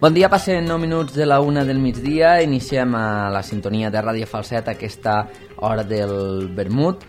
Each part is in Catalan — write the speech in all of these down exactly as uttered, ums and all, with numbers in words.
Bon dia, passen nou minuts de la una del migdia. Iniciem a la sintonia de Ràdio Falset aquesta hora del vermut.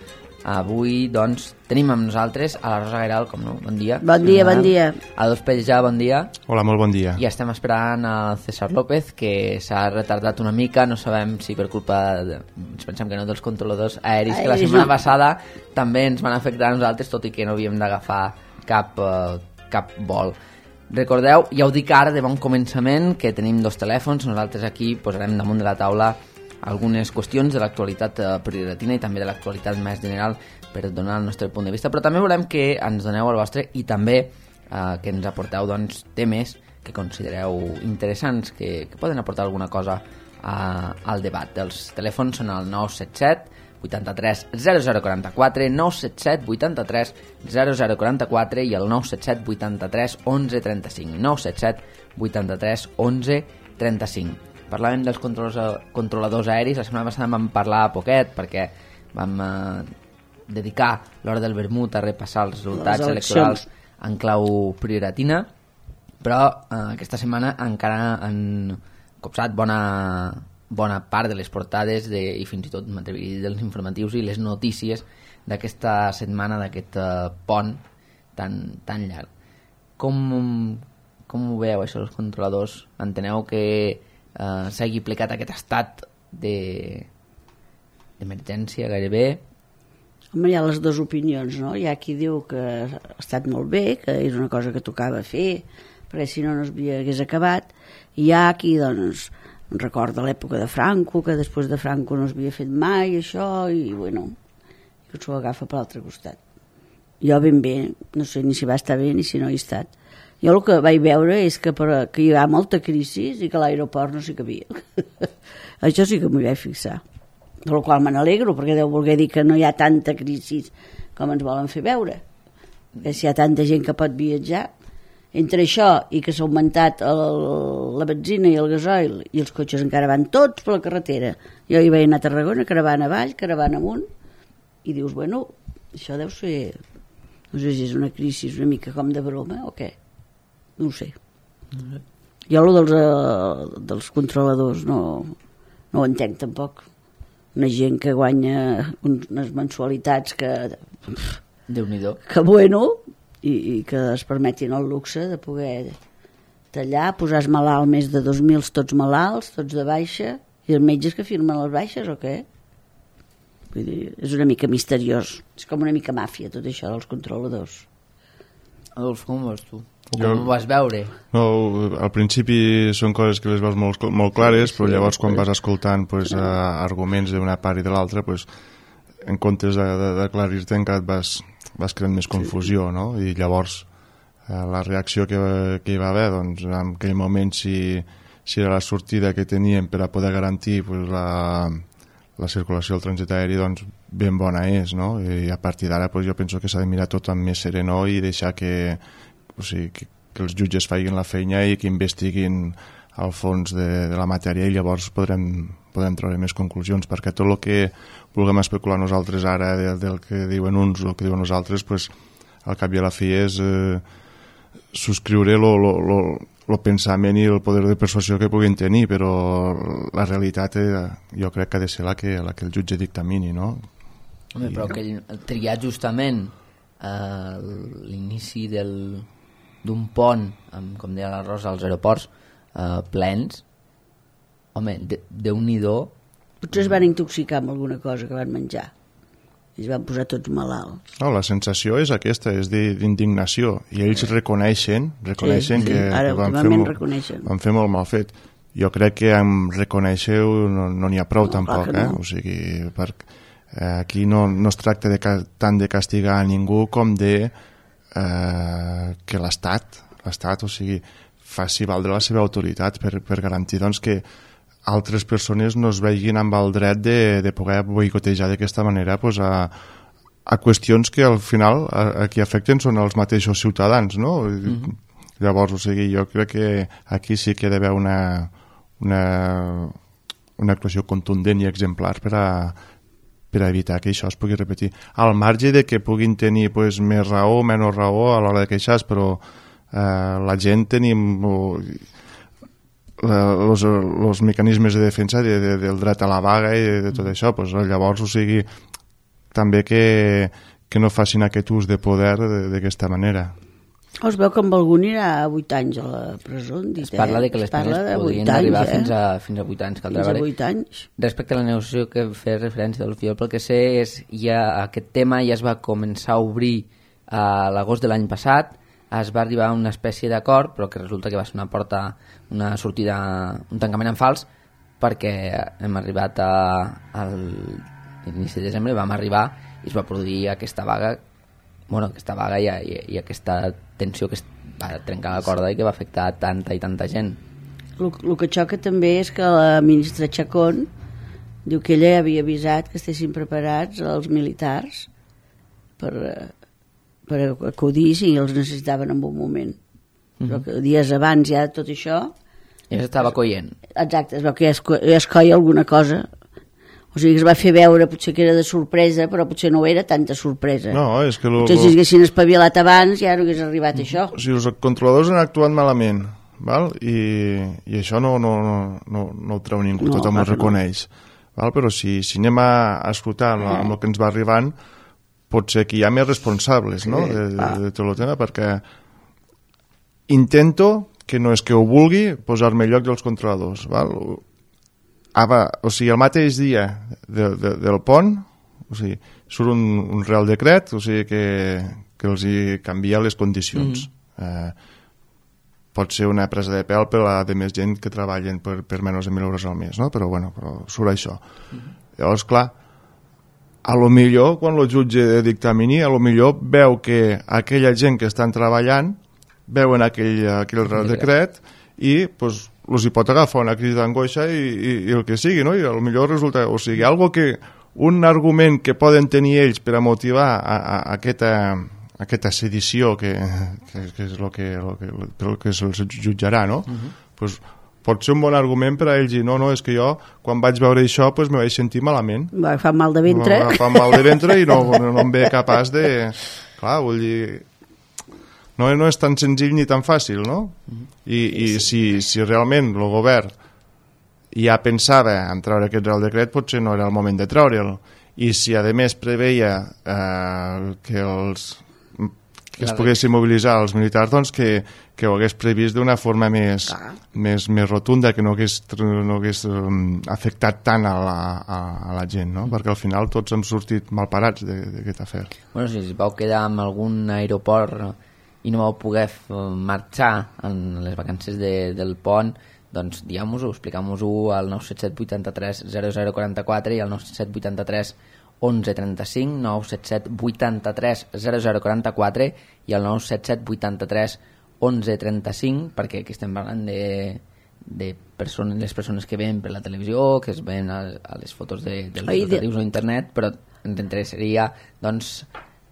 Avui, doncs, tenim amb nosaltres a la Rosa Gairal, com no? Bon dia. Bon dia, bon dia. A Dos Pellejà, bon dia. Hola, molt bon dia. I estem esperant al César López, que s'ha retardat una mica, no sabem si per culpa, de, ens pensem que no, dels controladors aeris, que la setmana passada també ens van afectar a nosaltres, tot i que no havíem d'agafar cap, uh, cap vol. Recordeu, ja ho dic ara de bon començament, que tenim dos telèfons. Nosaltres aquí posarem damunt de la taula algunes qüestions de l'actualitat prioratina i també de l'actualitat més general per donar el nostre punt de vista, però també volem que ens doneu el vostre i també eh, que ens aporteu doncs, temes que considereu interessants, que, que poden aportar alguna cosa a, al debat. Els telèfons són el nou set set vuitanta-tres zero zero quaranta-quatre, nou set set vuitanta-tres zero zero quaranta-quatre i el nou set set vuitanta-tres onze trenta-cinc, nou set set vuitanta-tres onze trenta-cinc. Parlàvem dels controladors aeris, la setmana passada vam parlar poquet perquè vam eh, dedicar l'hora del vermut a repassar els resultats electorals en clau prioratina, però eh, aquesta setmana encara han copsat bona, bona part de les portades de, i fins i tot dels informatius i les notícies d'aquesta setmana, d'aquest eh, pont tan, tan llarg. Com, com ho veieu això, els controladors? Enteneu que Uh, s'hagi aplicat aquest estat de d'emergència gairebé? Home, hi ha les dues opinions, no? Hi ha qui diu que ha estat molt bé, que és una cosa que tocava fer, perquè si no no s'hagués acabat, i hi ha qui, doncs, recorda l'època de Franco, que després de Franco no s'havia fet mai això, i bueno, que s'ho agafa per l'altre costat. Jo ben bé, no sé ni si va estar bé ni si no hi he estat. Jo el que vaig veure és que, per, que hi ha molta crisi i que a l'aeroport no s'hi cabia. Això sí que m'hi vaig fixar. De la qual me n'alegro, perquè deu voler dir que no hi ha tanta crisi com ens volen fer veure. Que si hi ha tanta gent que pot viatjar, entre això i que s'ha augmentat el, la benzina i el gasoil i els cotxes encara van tots per la carretera. Jo hi vaig anar a Tarragona, caravana avall, caravana amunt, i dius, bueno, això deu ser... No sé si és una crisi una mica com de broma o què. No ho sé. Mm-hmm. Jo el dels, uh, dels controladors no, no ho entenc tampoc. Una gent que guanya unes mensualitats que... Déu-n'hi-do. Que bueno, i, i que es permetin el luxe de poder tallar, posar malalt més de dos mil tots malalts, tots de baixa, i els metges que firmen les baixes o què? Vull dir, és una mica misteriós. És com una mica màfia tot això dels controladors. Adolf, com ho veus tu? O Jo, com ho vas veure? No, al principi són coses que les veus molt, molt clares, sí, però llavors quan vas escoltant pues, uh, arguments d'una part i de l'altra, pues, en comptes d'aclarir-te encara et vas, vas creant més confusió, sí. No? I llavors uh, la reacció que, que hi va haver, doncs, en aquell moment si, si era la sortida que teníem per a poder garantir pues, la, la circulació del trànsit aeri, doncs ben bona és, no? I a partir d'ara pues, jo penso que s'ha de mirar tot amb més serenor i deixar que o sigui, que, que els jutges facin la feina i que investiguin al fons de, de la matèria i llavors podrem, podrem treure més conclusions, perquè tot el que vulguem especular nosaltres ara de, del que diuen uns o el que diuen nosaltres, pues, al cap i a la fi és eh, subscriure el pensament i el poder de persuasió que puguin tenir, però la realitat eh, jo crec que ha de ser la que, la que el jutge dictamini, no? Home, però que triar justament eh, l'inici del d'un pont, amb, com deia la Rosa, als aeroports eh, plens, home, de, Déu-n'hi-do. Potser es van intoxicar amb alguna cosa que van menjar i es van posar tots malalts. No, la sensació és aquesta, és d'indignació, i ells reconeixen, reconeixen sí, sí. que, Ara, que van, fer molt, van fer molt mal fet. Jo crec que amb reconèixer-ho no n'hi ha prou, no, tampoc, eh? No. O sigui, perquè eh, aquí no, no es tracta de, tant de castigar a ningú com de Eh, que l'Estat, l'Estat, o sigui, faci valdre la seva autoritat per, per garantir doncs, que altres persones no es vegin amb el dret de, de poder boicotejar d'aquesta manera pues, a, a qüestions que al final a, a qui afecten són els mateixos ciutadans, no? Mm-hmm. Llavors, o sigui, jo crec que aquí sí que hi ha d'haver una, una, una actuació contundent i exemplar per a per evitar que això es pugui repetir. Al marge de que puguin tenir pues, més raó o menys raó a l'hora de queixar, però eh, la gent tenim... els mecanismes de defensa de, de, del dret a la vaga i de, de tot això, pues, llavors, o sigui, també que, que no facin aquest ús de poder d'aquesta manera. Es veu que amb algú anirà a vuit anys a la presó. Dit, es parla de que les penes podrien arribar eh? fins, a, fins a vuit anys. Fins a vuit anys. Respecte a la negociació que feia referència del Fiol, pel que sé, és, ja, aquest tema ja es va començar a obrir a l'agost de l'any passat, es va arribar a una espècie d'acord, però que resulta que va ser una porta, una sortida, un tancament en fals, perquè hem arribat a, al inici de desembre, vam arribar i es va produir aquesta vaga, bueno, aquesta vaga i, i, i aquesta tensió que es va trencar la corda i que va afectar tanta i tanta gent. El, el que xoca també és que la ministra Chacón diu que ella havia avisat que estessin preparats els militars per, per acudir si els necessitaven en un moment. Mm-hmm. Però que dies abans ja tot això... I s'estava coient. Exacte, es veu que ja es, ja es coia alguna cosa. O sigui, es va fer veure, potser que era de sorpresa, però potser no era tanta sorpresa. No, és que... Lo, potser si haguessin espavilat abans ja no hagués arribat mm. això. O sigui, els controladors han actuat malament, val? I, i això no, no, no, no, no ho treu ningú, no, tothom ho reconeix. No. Val? Però si, si anem a, a escoltar eh. amb el que ens va arribant, pot ser que hi ha més responsables, no? de, de, de tot el tema, perquè intento, que no és que ho vulgui, posar-me al lloc dels controladors, val? Ah, va, o sigui, el mateix dia de, de, del pont, o sigui, surt un, un real decret, o sigui, que, que els hi canvia les condicions. Mm. Eh, pot ser una presa de pèl per a de més gent que treballen per, per menys de mil euros al mes, no? Però, bueno, però surt això. Mm. Llavors, clar, a lo millor, quan el jutge de dictamini, a lo millor veu que aquella gent que estan treballant veuen aquell, aquell real decret i, doncs, els hi pot agafar una crisi d'angoixa i, i, i el que sigui, no? I potser resulta, o sigui, algo que, un argument que poden tenir ells per a motivar a, a, a aquesta, a aquesta sedició que, que, que és el que, el que, el que se'ls jutjarà, no? Uh-huh. Pues, pot ser un bon argument per a ells i no, no, és que jo, quan vaig veure això, pues, me vaig sentir malament. Va agafar mal de ventre. Va agafar mal de ventre i no, no, no em ve capaç de... Clar, vull dir... No, no és tan senzill ni tan fàcil, no? I, i si, si realment el govern ja pensava en treure aquest real decret, potser no era el moment de treure'l. I si a més preveia eh, que, els, que es poguessin mobilitzar els militars, doncs que, que ho hagués previst d'una forma més, més, més rotunda, que no hagués, no hagués um, afectat tant a la, a, a la gent, no? Perquè al final tots hem sortit malparats d'aquest afer. Bueno, si es vau quedar en algun aeroport i no vau poder marxar en les vacances de, del pont, doncs diguem-vos-ho, expliquem-vos-ho al nou set set vuit tres zero zero quatre quatre i al nou set set vuit tres onze trenta-cinc, nou set set vuit tres zero zero quatre quatre i al nou set set vuit tres onze trenta-cinc, perquè aquí estem parlant de, de persones, les persones que ven per la televisió, que es ven a, a les fotos de, dels rotatius o internet, però ens interessaria, doncs,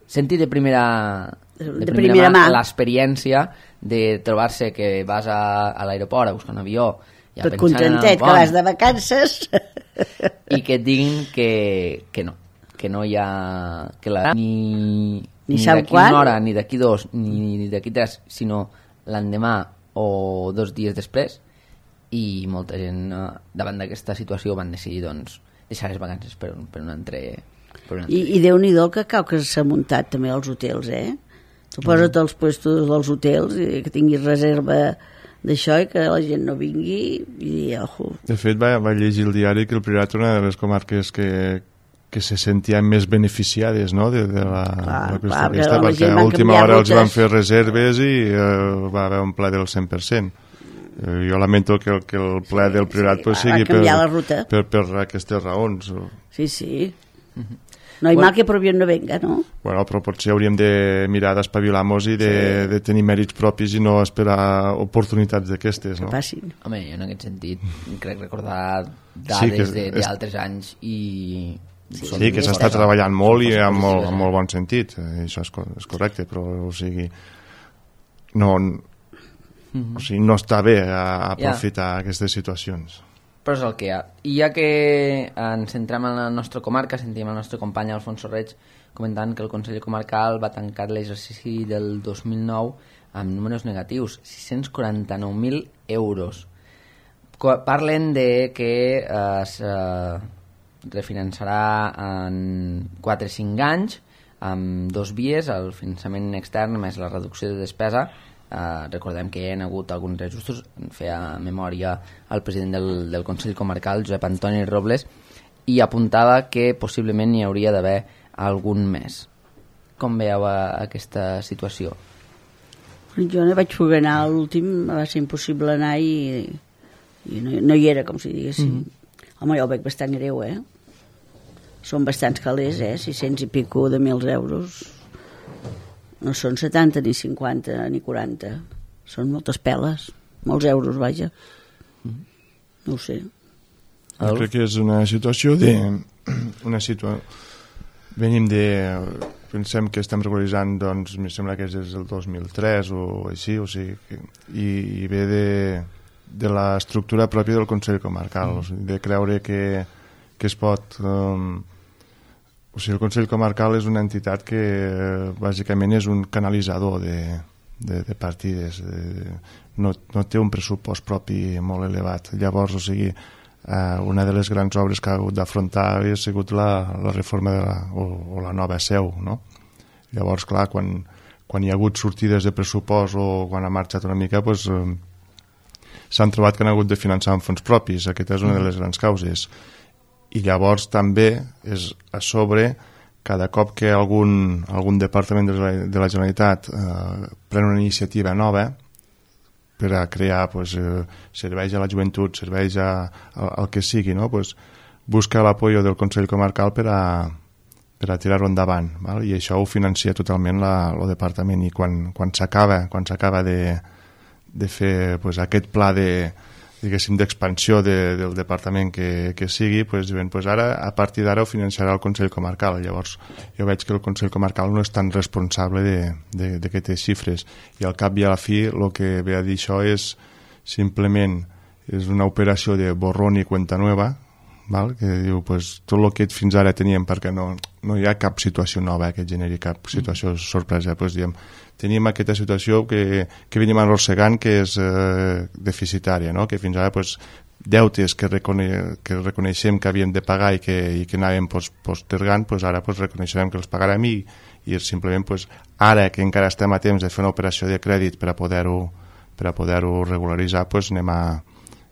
sentir de primera... de, de primera, primera mà l'experiència de trobar-se que vas a, a l'aeroport a buscar un avió ja tot contentet que vas de vacances i que et diguin que, que no que no hi ha que la, ni, ni, ni d'aquí una hora ni d'aquí dos ni, ni d'aquí tres sinó l'endemà o dos dies després i molta gent davant d'aquesta situació van decidir doncs deixar les vacances per un, per un altre, per un altre I, i Déu-n'hi-do que cau que s'ha muntat també als hotels, eh? Tu posa't als puestos dels hotels i que tinguis reserva d'això i que la gent no vingui i ojo. De fet, va, va llegir el diari que el Priorat era una de les comarques que, que se sentien més beneficiades, no?, de, de la, clar, la qüestió clar, aquesta, perquè a última hora els van fer reserves i uh, va haver un ple del cent per cent. Uh, jo lamento que, que el ple sí, del Priorat sí, pues, sigui per, per, per aquestes raons. Sí, sí. Uh-huh. No hi bueno, mal que per bien no venga, no? Bueno, però potser hauríem de mirar d'espavilar-nos i de, sí. de tenir mèrits propis i no esperar oportunitats d'aquestes, no? Que passin. Home, jo en aquest sentit crec recordar dades sí, d'altres és... anys i... Sí, sí que s'està treballant molt i amb molt, amb molt bon sentit, això és, és correcte, però o sigui, no, mm-hmm. o sigui, no està bé aprofitar yeah. aquestes situacions. Però és el que hi ha. I ja que ens centrem en la nostra comarca, sentim el nostre company Alfonso Reig comentant que el Consell Comarcal va tancar l'exercici del dos mil nou amb números negatius, sis-cents quaranta-nou mil euros. parlen de que es eh, refinançarà en quatre o cinc anys amb dos vies, el finançament extern més la reducció de despesa. Uh, recordem que hi ha hagut alguns reajustos, feia memòria el president del, del Consell Comarcal, Josep Antoni Robles, i apuntava que possiblement hi hauria d'haver algun més. Com veieu aquesta situació? Jo no vaig poder anar a l'últim, va ser impossible anar i, i no, no hi era, com si diguéssim. Mm-hmm. Home, jo ho veig bastant greu, eh? Són bastants calés, eh? sis-cents i pico de mils euros. No són setanta, ni cinquanta, ni quaranta. Són moltes peles, molts euros, vaja. No ho sé. Jo crec que és una situació de... Una situa... Venim de... Pensem que estem regularitzant, doncs, em sembla que és des del dos mil tres o així, o sigui, que, i, i ve de, de l'estructura pròpia del Consell Comarcal, mm. o sigui, de creure que, que es pot... Um, O sigui, el Consell Comarcal és una entitat que eh, bàsicament és un canalitzador de, de, de partides, de, no, no té un pressupost propi molt elevat. Llavors, o sigui, eh, una de les grans obres que ha hagut d'afrontar ha sigut la, la reforma de la, o, o la nova seu, no? Llavors, clar, quan, quan hi ha hagut sortides de pressupost o quan ha marxat una mica, doncs, eh, s'han trobat que han hagut de finançar amb fons propis. Aquesta és una de les grans causes. I llavors també és a sobre, cada cop que algun, algun departament de la, de la Generalitat eh, pren una iniciativa nova per a crear pues, eh, serveis a la joventut, serveis a, a, al que sigui, no? Pues, busca l'apoio del Consell Comarcal per a, per a tirar-ho endavant, val? I això ho financia totalment la, el departament, i quan, quan s'acaba quan s'acaba de, de fer pues, aquest pla de diguéssim, d'expansió de, del departament que, que sigui, pues, diuen, pues ara, a partir d'ara ho financiarà el Consell Comarcal. Llavors, jo veig que el Consell Comarcal no és tan responsable d'aquestes xifres, i al cap i a la fi el que ve a dir això és simplement és una operació de borrón i cuenta nueva, val? Que diu, pues, tot el que fins ara teníem, perquè no, no hi ha cap situació nova que generi cap situació sorpresa, pues, diem, tenim aquesta situació que, que venim arrossegant, que és eh, deficitària, no? Que fins ara pues, deutes que, recone que reconeixem que havíem de pagar i que, i que anàvem pues, postergant, pues, ara pues, reconeixem que els pagarem, i, i simplement pues, ara que encara estem a temps de fer una operació de crèdit per a poder-ho per a poder-ho regularitzar, pues, anem, a,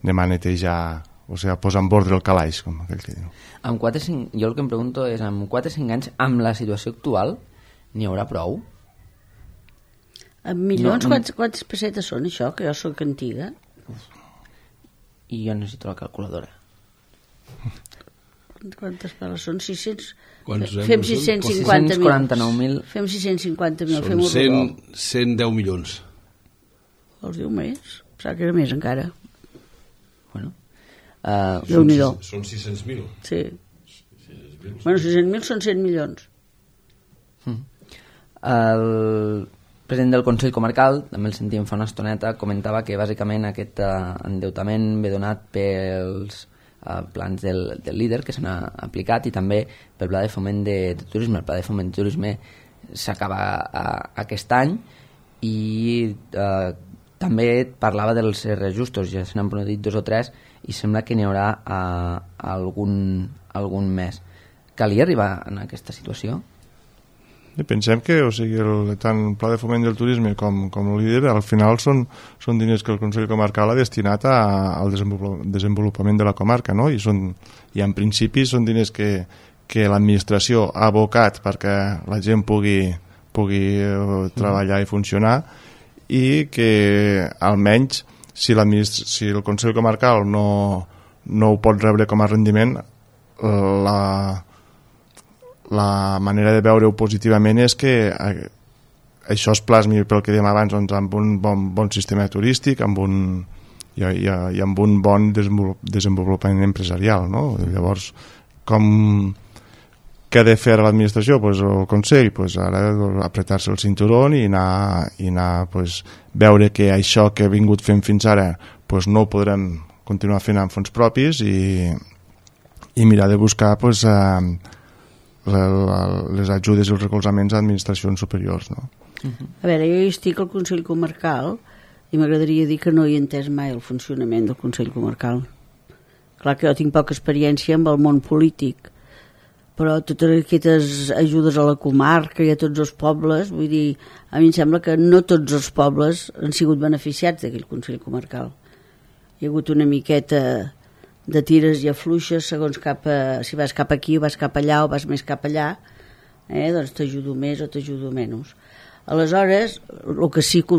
anem a netejar, o sigui, a posar en ordre el calaix, com aquell que diu. Amb quatre, cinc, jo el que em pregunto és, amb quatre o cinc anys, amb la situació actual, n'hi haurà prou? En milions, no, no... quants, quants pessetes són això, que jo sóc antiga? I jo necessito la calculadora. Quantes peles són? sis-cents? Quants Fem sis-cents cinquanta mil. sis-cents quaranta-nou mil. Fem sis-cents cinquanta mil. Són cent, cent deu milions. Els diu més? Pensava que era més encara. Bueno. Uh, Déu-n'hi-do. Són sis-cents mil. Sí. Bueno, sis-cents mil són cent milions. El president del Consell Comarcal, també el sentíem fa una estoneta, comentava que bàsicament aquest uh, endeutament ve donat pels uh, plans del, del líder que s'han aplicat, i també pel pla de foment de, de turisme. El pla de foment de turisme s'acaba uh, aquest any, i uh, també parlava dels reajustos, ja se n'han produït dos o tres, i sembla que n'hi haurà uh, algun, algun més. Calia arribar en aquesta situació? I pensem que, o sigui, el, tant el Pla de Foment del Turisme com, com el líder, al final són, són diners que el Consell Comarcal ha destinat a, al desenvolupament de la comarca, no? I, són, i en principi són diners que, que l'administració ha abocat perquè la gent pugui, pugui treballar i funcionar, i que almenys si, si el Consell Comarcal no, no ho pot rebre com a rendiment, la la manera de veure-ho positivament és que això es plasmi, pel que dèiem abans, doncs, amb un bon, bon sistema turístic, amb un, i, i, i amb un bon desenvolupament empresarial, no? Llavors, com què ha de fer l'administració? Pues, el Consell, pues, ara apretar-se el cinturó i anar, i anar pues, veure que això que ha vingut fent fins ara pues, no ho podrem continuar fent amb fons propis, i, i mirar de buscar pues, eh, les ajudes i els recolzaments a administracions superiors, no? A veure, jo hi estic al Consell Comarcal i m'agradaria dir que no he entès mai el funcionament del Consell Comarcal. Clar que jo tinc poca experiència amb el món polític, però totes aquestes ajudes a la comarca i a tots els pobles, vull dir, a mi em sembla que no tots els pobles han sigut beneficiats d'aquell Consell Comarcal. Hi ha hagut una miqueta de tires i afluixes segons cap a, si vas cap aquí o vas cap allà o vas més cap allà, eh, doncs t'ajudo més o t'ajudo menys. Aleshores, el que sí que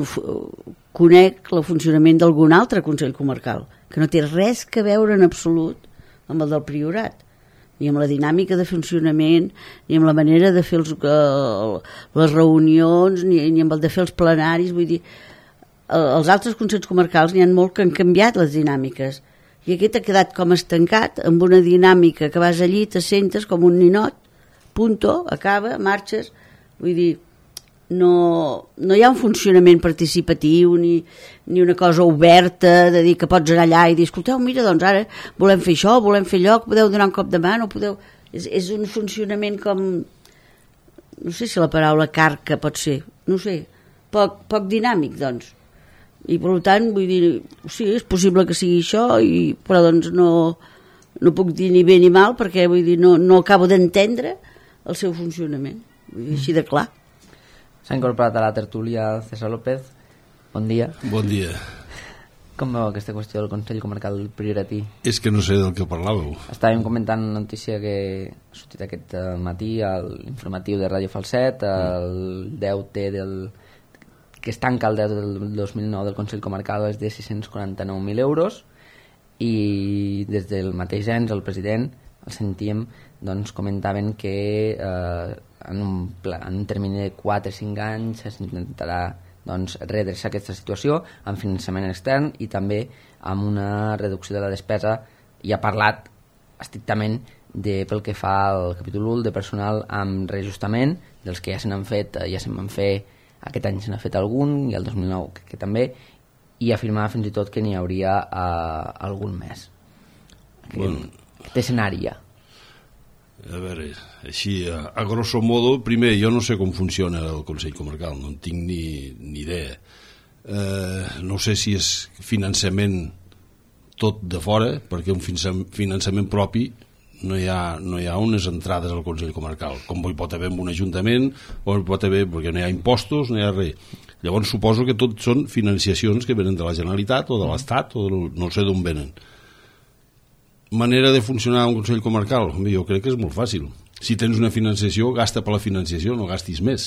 conec el funcionament d'algun altre Consell Comarcal, que no té res que veure en absolut amb el del Priorat, ni amb la dinàmica de funcionament, ni amb la manera de fer els, uh, les reunions, ni, ni amb el de fer els plenaris. Vull dir, els altres Consells Comarcals n'hi ha molt que han canviat les dinàmiques, i aquest ha quedat com estancat amb una dinàmica que vas allí, t'assentes com un ninot, punto, acaba, marxes. Vull dir, no, no hi ha un funcionament participatiu ni, ni una cosa oberta de dir que pots anar allà i dir, escolteu, mira, doncs ara volem fer això, volem fer allò, podeu donar un cop de mà, no podeu... És, és un funcionament com... No sé si la paraula carca pot ser, no sé, poc, poc dinàmic, doncs. I per tant, vull dir, sí, és possible que sigui això, i, però doncs no, no puc dir ni bé ni mal, perquè vull dir, no, no acabo d'entendre el seu funcionament, vull dir, així de clar. S'ha incorporat a la tertúlia César López. Bon dia. Bon dia. Com veu aquesta qüestió del Consell Comarcal Prioratí? És que no sé del que parlàveu. Estàvem comentant una notícia que ha sortit aquest matí a l'informatiu de Ràdio Falset, el deute del... que es tanca el deute del dos mil nou del Consell Comarcal és de sis-cents quaranta-nou mil euros, i des del mateix ens, el president, el sentíem, doncs comentaven que eh, en, un pla, en un termini de quatre o cinc anys s'intentarà doncs, redreçar aquesta situació amb finançament extern i també amb una reducció de la despesa. I ha parlat estrictament de, pel que fa al capítol u de personal amb reajustament, dels que ja se n'han fet, ja se'n van fer, aquest any se n'ha fet algun i el dos mil nou que, que també, i afirmava fins i tot que n'hi hauria uh, algun més. Bueno, aquest escenari ja. A veure, així, a, a grosso modo, primer, jo no sé com funciona el Consell Comarcal, no en tinc ni, ni idea. Eh, no sé si és finançament tot de fora, perquè un finançament propi no hi ha, no hi ha unes entrades al Consell Comarcal, com hi pot haver en un ajuntament, o hi pot haver, perquè no hi ha impostos, no hi ha res. Llavors suposo que tot són financiacions que venen de la Generalitat o de l'Estat, o de, no sé d'on venen. Manera de funcionar un Consell Comarcal? Jo crec que és molt fàcil. Si tens una financiació, gasta per la financiació, no gastis més.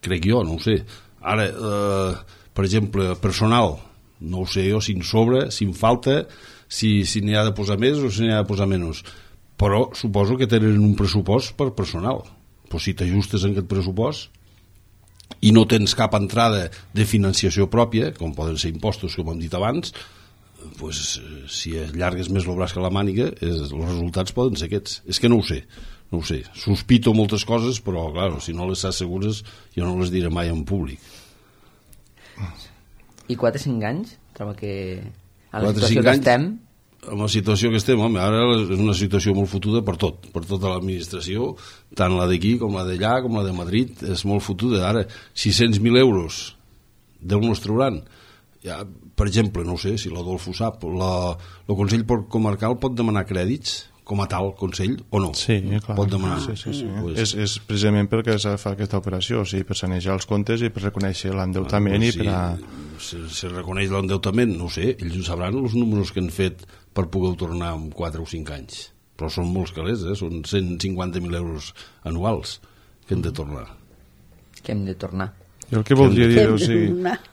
Crec jo, no ho sé. Ara, eh, per exemple, personal, no ho sé jo si en sobra, si en falta, si, si n'hi ha de posar més o si n'hi ha de posar menys. Però suposo que tenen un pressupost per personal. Però si t'ajustes en aquest pressupost i no tens cap entrada de financiació pròpia, com poden ser impostos, com hem dit abans, pues, si allargues més el braç que la màniga, és, els resultats poden ser aquests. És que no ho sé, no ho sé. Sospito moltes coses, però clar, si no les saps segures, jo no les diré mai en públic. I quatre o cinc anys? Trobo que a la situació que estem... Amb la situació que estem, home, ara és una situació molt fotuda per tot, per tota l'administració, tant la d'aquí com la d'allà, com la de Madrid, és molt fotuda. Ara, sis-cents mil euros d'on els trauran? Ja, per exemple, no ho sé, si l'Adolfo sap, la, el Consell Comarcal pot demanar crèdits com a tal Consell o no? Sí, clar. Pot demanar. Sí, sí, sí. Pues... És, és precisament perquè s'ha de fer aquesta operació, o sigui, per sanejar els comptes i per reconèixer l'endeutament. Ah, pues, i per a... si, si reconeix l'endeutament, no ho sé, ells ho sabran els números que han fet per poder tornar en quatre o cinc anys. Però són molts calés, eh? Són cent cinquanta mil euros anuals que hem de tornar. Que hem de tornar. Jo el que voldria dir, o sigui,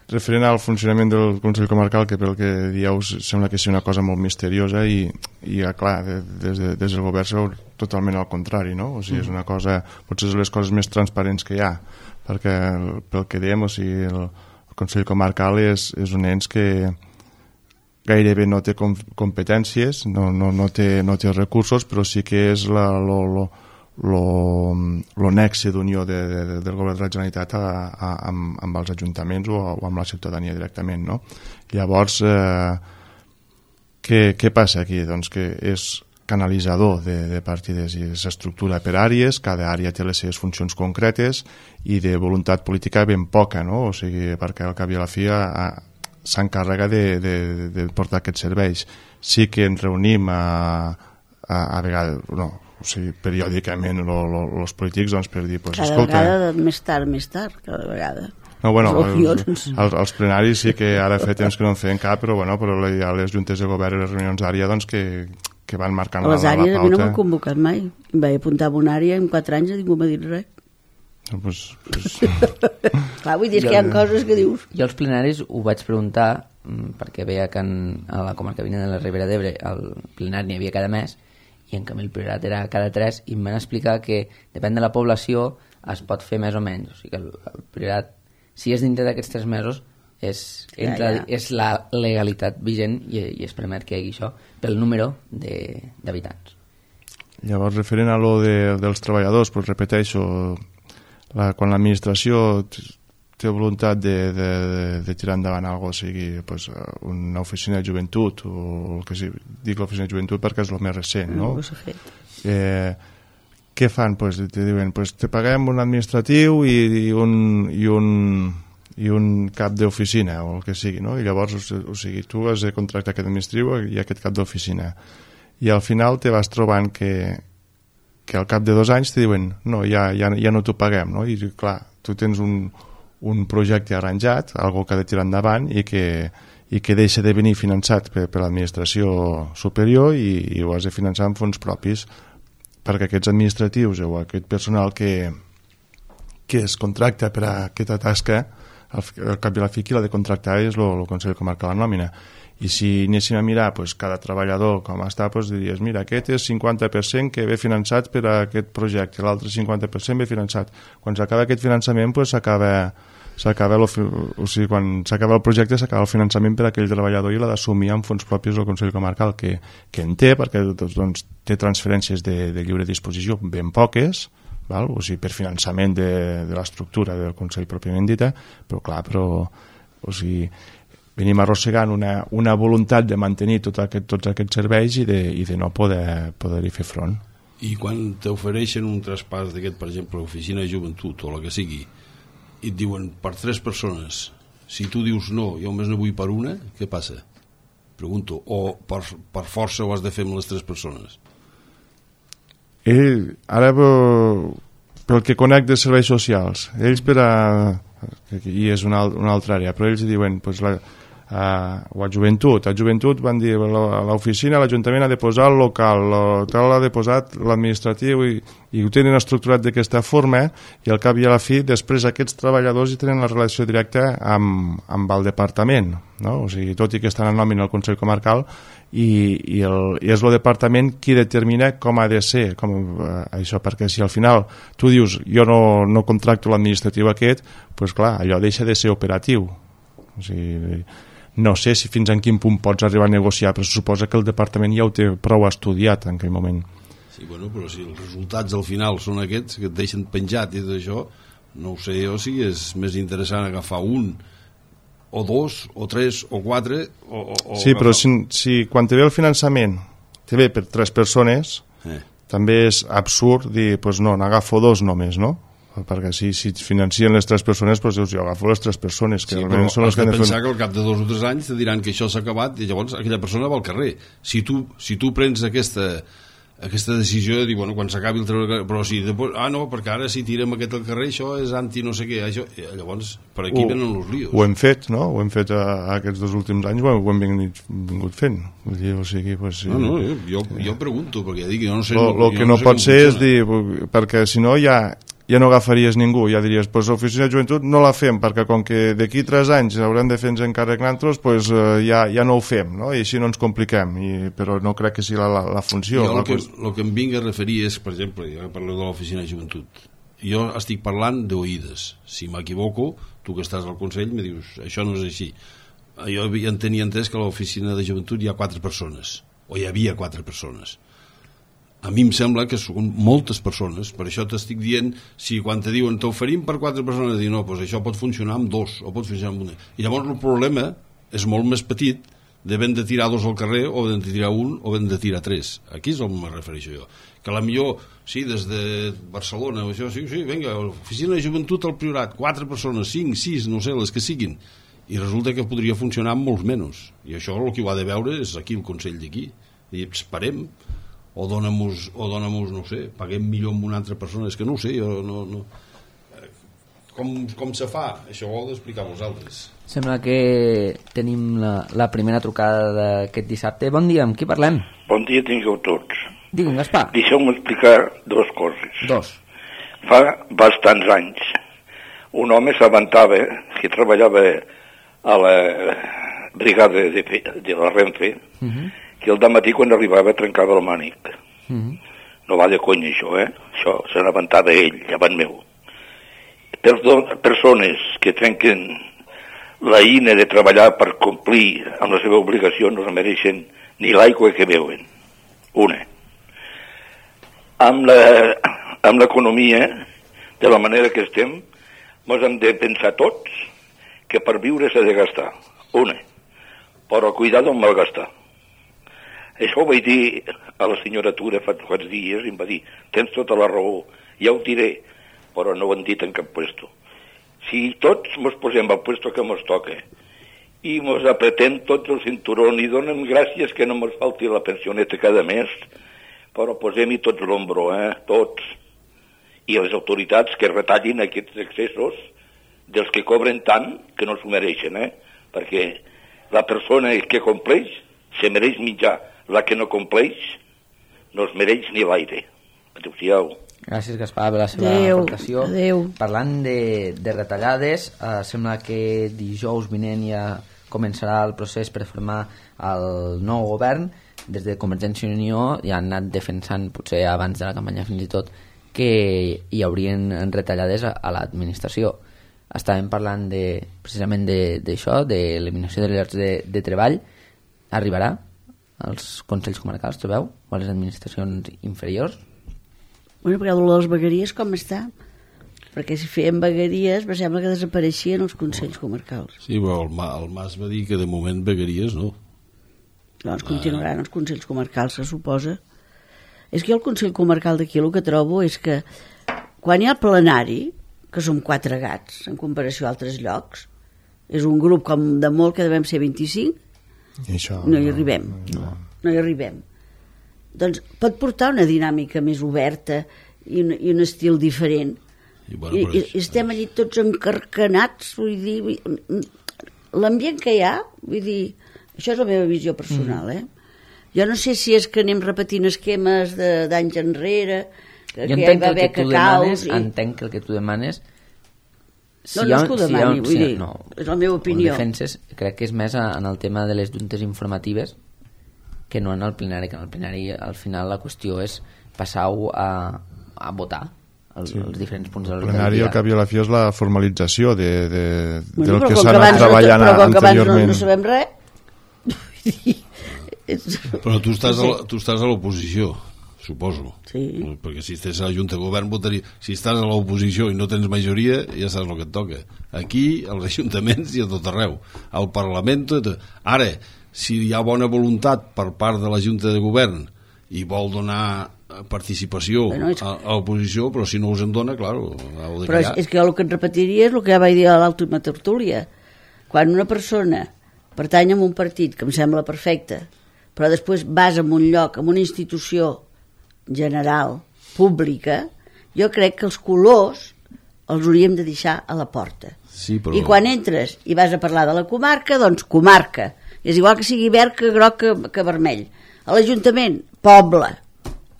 referent al funcionament del Consell Comarcal, que pel que dieu sembla que és una cosa molt misteriosa i, i clar, des, de, des del govern és totalment al contrari, no? O sigui, és una cosa, potser és les coses més transparents que hi ha, perquè pel que diem, o sigui, el, el Consell Comarcal és, és un ens que gairebé no té com, competències, no, no, no, té, no té recursos, però sí que és la, lo, lo, lo, lo nexe d'unió de, de, del govern de la Generalitat a, a, amb, amb els ajuntaments o, o amb la ciutadania directament, no? Llavors, eh, què, què passa aquí? Doncs que és canalitzador de, de partides i s'estructura per àrees, cada àrea té les seves funcions concretes i de voluntat política ben poca, no? O sigui, perquè al cap i a la fi a, s'encarrega de, de, de portar aquests serveis. Sí que ens reunim a, a, a vegades, no, o sigui, periòdicament els polítics doncs, per dir, pues, cada escolta... vegada més tard, més tard, cada vegada. No, bueno, els, els, els plenaris sí que ara fa temps que no en feien cap, però, bueno, però hi ha les juntes de govern i les reunions d'àrea doncs, que, que van marcant la, la, la pauta. Les àrees a mi no m'han convocat mai. Em vaig apuntar a una àrea en quatre anys i ningú m'ha dit res. No, pues, pues... Clar, vull dir que hi ha coses que dius... Jo als plenaris ho vaig preguntar perquè veia que en, a la comarca vinent de la Ribera d'Ebre el plenari n'hi havia cada mes i en canvi el priorat era cada tres i em van explicar que depèn de la població es pot fer més o menys. O sigui que el, el priorat, si és dintre d'aquests tres mesos, és, entra, ja, ja. és la legalitat vigent i, i es permet que hi hagi això pel número d'habitants. Llavors, referent a lo de, dels treballadors, pues, repeteixo, La, quan l'administració té voluntat de, de, de tirar endavant alguna cosa, sigui pues, una oficina de joventut o el que sigui, dic l'oficina de joventut perquè és el més recent, no? no eh, què fan? Pues, te diuen, pues, te paguem un administratiu i, i, un, i, un, i un cap d'oficina o el que sigui, no? I llavors, o, o sigui, tu has de contractar aquest administratiu i aquest cap d'oficina i al final te vas trobant que que al cap de dos anys te diuen no, ja, ja, ja no t'ho paguem, no? I clar, tu tens un, un projecte arranjat, algo que ha de tirar endavant i que, i que deixa de venir finançat per, per l'administració superior i, i ho has de finançar amb fons propis perquè aquests administratius o aquest personal que, que es contracta per a aquesta tasca al, al cap i a la fi qui l'ha de contractar és el Consell Comarcal de Nòmina. I si anéssim a mirar pues, cada treballador com està, pues, diries, mira, aquest és cinquanta per cent que ve finançat per a aquest projecte, l'altre cinquanta per cent ve finançat. Quan s'acaba aquest finançament, pues, s'acaba, s'acaba el, o sigui, quan s'acaba el projecte, s'acaba el finançament per a aquell treballador i l'ha d'assumir amb fons propis el Consell Comarcal, que, que en té, perquè doncs, té transferències de, de lliure disposició ben poques, val? O sigui, per finançament de, de l'estructura del Consell pròpiament dita, però clar, però, o sigui, venim arrossegant una, una voluntat de mantenir tot aquest, tots aquests serveis i de, i de no poder, poder-hi fer front. I quan t'ofereixen un traspàs d'aquest, per exemple, l'oficina de joventut o la que sigui, i et diuen per tres persones, si tu dius no, jo només no vull per una, què passa? Pregunto, o per, per força ho has de fer amb les tres persones? Ell, ara pel que conec de serveis socials, ells per a... i és una, una altra àrea, però ells diuen pues, la, a, o a joventut a joventut van dir a l'oficina l'Ajuntament ha de posar el local tal ha de posar l'administratiu i, i ho tenen estructurat d'aquesta forma i al cap i a la fi després aquests treballadors hi tenen la relació directa amb, amb el departament, no? O sigui, tot i que estan en nòmina al Consell Comarcal i, i, el, i és el departament qui determina com ha de ser com, eh, això, perquè si al final tu dius jo no, no contracto l'administratiu aquest, doncs clar, allò deixa de ser operatiu. O sigui, no sé si fins en quin punt pots arribar a negociar, però suposa que el departament ja ho té prou estudiat en aquell moment. Sí, bueno, però si els resultats al final són aquests que et deixen penjat i tot això, no ho sé jo si és més interessant agafar un o dos, o tres, o quatre o, o sí, però si, si quan te ve el finançament te ve per tres persones eh. també és absurd dir, doncs pues no, n'agafo dos només, no? Perquè si, si financien les tres persones doncs dius, jo agafo les tres persones que sí, però són les has que de pensar fer... que al cap de dos o tres anys te diran que això s'ha acabat i llavors aquella persona va al carrer. Si tu, si tu prens aquesta, aquesta decisió de dir, bueno, quan s'acabi el treball, però si després, ah no, perquè ara si tirem aquest al carrer això és anti no sé què, això, llavors per aquí ho, venen els líos. Ho hem fet, no? Ho hem fet a, a aquests dos últims anys, ho hem vingut, vingut fent. Vull dir, o sigui, pues, sí. No, no, jo, jo pregunto, perquè ja dic, jo no sé... Lo, lo que no, no sé pot ser és dir, perquè si no ja... ja no agafaries ningú, ja diries pues l'oficina de joventut no la fem perquè com que d'aquí tres anys haurem de fer-nos encàrrec nosaltres pues, uh, ja, ja no ho fem, no? I així no ens compliquem I, però no crec que sigui la, la, la funció. Jo el que, el que em vinc a referir és, per exemple, ja parlo de l'oficina de joventut, jo estic parlant d'oïdes, si m'equivoco tu que estàs al Consell me dius això no és així, jo ja tenia entès que a l'oficina de joventut hi ha quatre persones o hi havia quatre persones. A mi em sembla que són moltes persones, per això t'estic dient, si quan te diuen t'oferim per quatre persones, dir no, doncs això pot funcionar amb dos, o pot funcionar amb una. I llavors el problema és molt més petit d'haver de tirar dos al carrer, o d'haver de tirar un, o d'haver de tirar tres. Aquí és on me refereixo jo. Que a la millor, sí, des de Barcelona, això, sí, sí, vinga, oficina de joventut al Priorat, quatre persones, cinc, sis, no sé, les que siguin, i resulta que podria funcionar amb molts menys, i això el que ho ha de veure és aquí el Consell d'aquí, i esperem, o dona-mos, o dona-mos, no sé, paguem millor amb una altra persona, és que no ho sé, jo no... no... Com, com se fa? Això ho heu d'explicar vosaltres. Sembla que tenim la, la primera trucada d'aquest dissabte. Bon dia, amb qui parlem? Bon dia tingueu tots. Digue'm, Gaspar. Deixeu-me explicar dues coses. Dos. Fa bastants anys un home s'avantava que treballava a la brigada de, de la Renfe, uh-huh. que el dematí quan arribava trencava el mànic. Uh-huh. No va de conya això, eh? Això se n'avantava ell, llevant meu. Perdó, persones que trenquen la ina de treballar per complir amb la seva obligació no es mereixen ni l'aigua que beuen. Una. Amb la, amb l'economia, de la manera que estem, ens hem de pensar tots que per viure s'ha de gastar. Una. Però cuidado amb malgastar. Això ho vaig dir a la senyora Tura fa uns dies i em va dir, tens tota la raó, ja ho diré, però no ho han dit en cap puesto. Si tots ens posem al puesto que ens toca i ens apretem tots el cinturó i donem gràcies que no ens falti la pensioneta cada mes, però posem-hi tots l'ombro, eh? Tots. I les autoritats que retallin aquests excessos dels que cobren tant que no s'ho mereixen, eh? Perquè la persona que compleix se mereix mitjà, la que no compleix no es mereix ni l'aire. Adéu-siau. Gràcies, Gaspar, per la seva adeu, aportació. Adeu. Parlant de, de retallades, eh, sembla que dijous vinent ja començarà el procés per formar el nou govern. Des de Convergència i Unió ja han anat defensant, potser abans de la campanya fins i tot, que hi haurien retallades a, a l'administració. Estàvem parlant de, precisament d'això, de, de l'eliminació de llocs de, de treball. Arribarà als consells comarcals, trobeu? O a les administracions inferiors? Bueno, perquè el de les vegueries com està? Perquè si feien vegueries, em sembla que desapareixien els consells comarcals. Sí, però el, el Mas va dir que de moment vegueries no. Doncs continuaran els consells comarcals, se suposa. És que el consell comarcal d'aquí el que trobo és que quan hi ha el plenari, que som quatre gats en comparació a altres llocs, és un grup com de molt que devem ser vint-i-cinc, I això, no hi arribem, no, no hi arribem. Doncs pot portar una dinàmica més oberta i un, i un estil diferent. I, bueno, I, i estem allí tots encarcanats, vull dir, l'ambient que hi ha, vull dir, això és la meva visió personal, eh? Jo no sé si és que anem repetint esquemes d'anys enrere, que, jo que ja hi va haver que cacaus... I... Entenc que el que tu demanes... Si no, no és que ho demani, si vull si dir, no, és la meva opinió. Defenses, crec que és més en el tema de les juntes informatives que no en el plenari, que en el plenari al final la qüestió és passar-ho a, a votar els, sí. els diferents punts del dia. El plenari al cap i a la fi és la formalització de, de, bueno, del que s'ha anat treballant no, però com que anteriorment. No, no sabem res. Però tu estàs, a, tu estàs a l'oposició, suposo. Sí. Perquè si estàs a la Junta de Govern votaria... Si estàs a l'oposició i no tens majoria, ja saps el que et toca. Aquí, als ajuntaments i a tot arreu. Al Parlament... Tot... Ara, si hi ha bona voluntat per part de la Junta de Govern i vol donar participació bueno, és... a, a l'oposició, però si no us en dona, clar, heu de però és, és que jo el que et repetiria és el que ja vaig dir a l'última tertúlia. Quan una persona pertany a un partit que em sembla perfecte, però després vas a un lloc, a una institució general, pública, jo crec que els colors els hauríem de deixar a la porta. Sí, però... I quan entres i vas a parlar de la comarca, doncs comarca. És igual que sigui verd, que groc, que, que vermell. A l'Ajuntament, poble,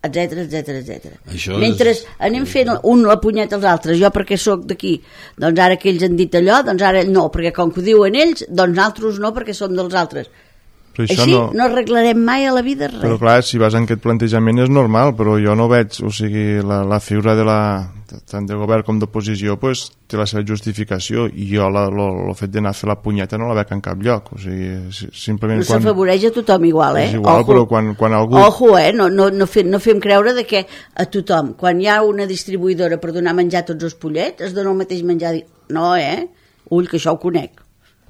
etcètera, etcètera, etcètera. Mentre és... anem fent un la punyeta als altres, jo perquè sóc d'aquí, doncs ara que ells han dit allò, doncs ara no, perquè com que ho diuen ells, doncs nosaltres no, perquè som dels altres. Però així no... no arreglarem mai a la vida res. Però clar, si vas en aquest plantejament és normal, però jo no veig, o sigui, la, la figura de la, tant de govern com d'oposició pues, té la seva justificació i jo el fet d'anar a fer la punyeta no la veig en cap lloc, o sigui, simplement... No quan... s'afavoreix a tothom igual, eh? És igual, Ojo. Però quan, quan algú... Ojo, eh? No, no, no, fem, no fem creure de que a tothom, quan hi ha una distribuïdora per donar menjar a tots els pollets, es dona el mateix menjar... No, eh? Ull, que això ho conec.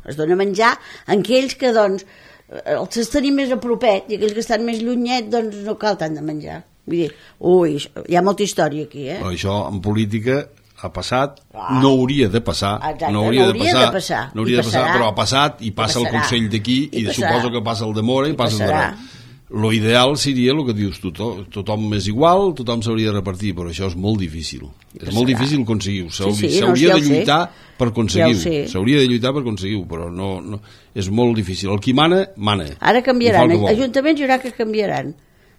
Es dona menjar a aquells que, doncs, els que tenim més a propet i aquells que estan més llunyet, doncs no cal tant de menjar. Vull dir, ui, hi ha molta història aquí, eh? Però això, en política, ha passat, ah. no hauria de passar, Exacte, no hauria, no de, passar, de passar, no hauria de passar, però ha passat i passa I el Consell d'aquí i, i suposo que passa el de Mora i, i passa el de Reus. Lo ideal seria el que dius tu, tothom, tothom és igual, tothom s'hauria de repartir, però això és molt difícil. És molt difícil aconseguir-ho. S'hauria sí, sí, no, de lluitar sé. per aconseguir-ho. Ja S'hauria de lluitar per aconseguir-ho, però no, no, és molt difícil. El qui mana, mana. Ara canviaran, ajuntaments hi haurà que canviaran.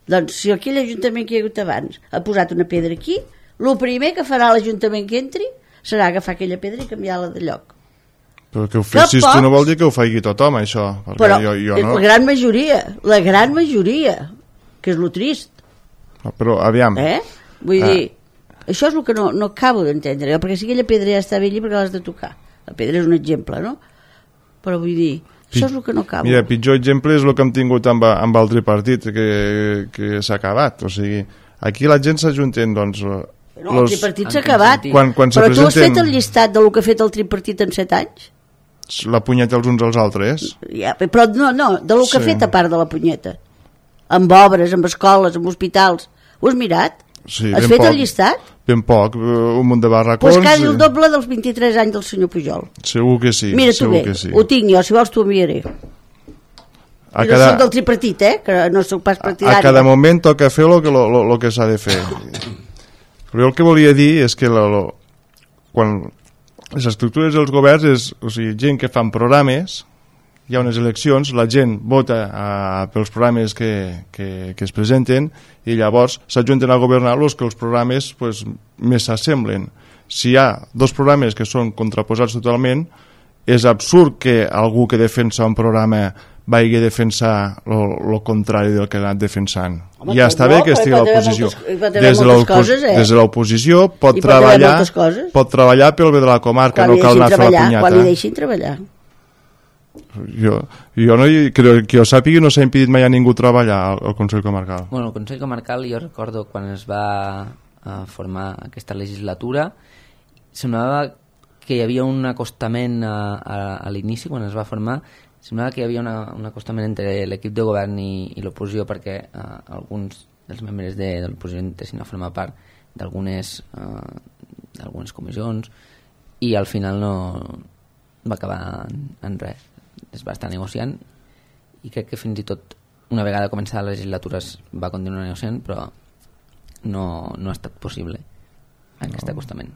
Doncs si aquell ajuntament que hi ha hagut abans ha posat una pedra aquí, el primer que farà l'Ajuntament que entri serà agafar aquella pedra i canviar-la de lloc. Però que ho fessis tu no vol dir que ho faci tothom, això. Però jo, jo no. la gran majoria, la gran majoria, que és lo trist. No, però aviam. Eh? Vull ah. dir, això és el que no, no acabo d'entendre, perquè si aquella pedra ja està bé allí perquè l'has de tocar. La pedra és un exemple, no? Però vull dir, això és el que no acabo. Mira, pitjor exemple és el que hem tingut amb, amb el tripartit, que, que s'ha acabat. O sigui, aquí la gent s'ajunten, doncs... No, los... el tripartit s'ha acabat, quan, quan però presenten... tu has fet el llistat del que ha fet el tripartit en set anys? La punyeta els uns als altres? Ja, però no, no, de lo que sí. ha fet a part de la punyeta. Amb obres, amb escoles, amb hospitals. Ho has mirat? Sí, has fet poc, el llistat? Ben poc, un munt de barracons... Doncs pues quasi el doble dels vint-i-tres anys del senyor Pujol. Segur que sí. Mira tu bé, sí. ho tinc jo, si vols t'ho enviaré. A I cada... no soc del tripartit, eh? Que no soc pas partidari. A cada moment toca fer el que, lo, lo, lo que s'ha de fer. Però el que volia dir és que lo, lo, quan... les estructures dels governs és, o sigui, gent que fan programes, hi ha unes eleccions, la gent vota a, pels programes que, que, que es presenten i llavors s'ajunten a governar els que els programes pues, més s'assemblen. Si hi ha dos programes que són contraposats totalment, és absurd que algú que defensa un programa vagi a defensar el contrari del que ha anat defensant. Home, ja està no, bé que estigui a l'oposició. Des de l'oposició pot, treballar, pot treballar pel bé de la comarca, quan no cal anar a fer la punyata. Quan li deixin treballar. Jo, jo no, que, que jo sàpiga no s'ha impedit mai a ningú treballar al, al Consell Comarcal. Bueno, el Consell Comarcal jo recordo quan es va uh, formar aquesta legislatura semblava que hi havia un acostament a, a, a l'inici quan es va formar. Semblava que hi havia una, un acostament entre l'equip de govern i, i l'oposició perquè uh, alguns dels membres de, de l'oposició intessin a formar part d'algunes uh, d'algunes comissions i al final no va acabar en, en res. Es va estar negociant i crec que fins i tot una vegada començada la legislatura es va continuar negociant, però no, no ha estat possible aquest no. acostament.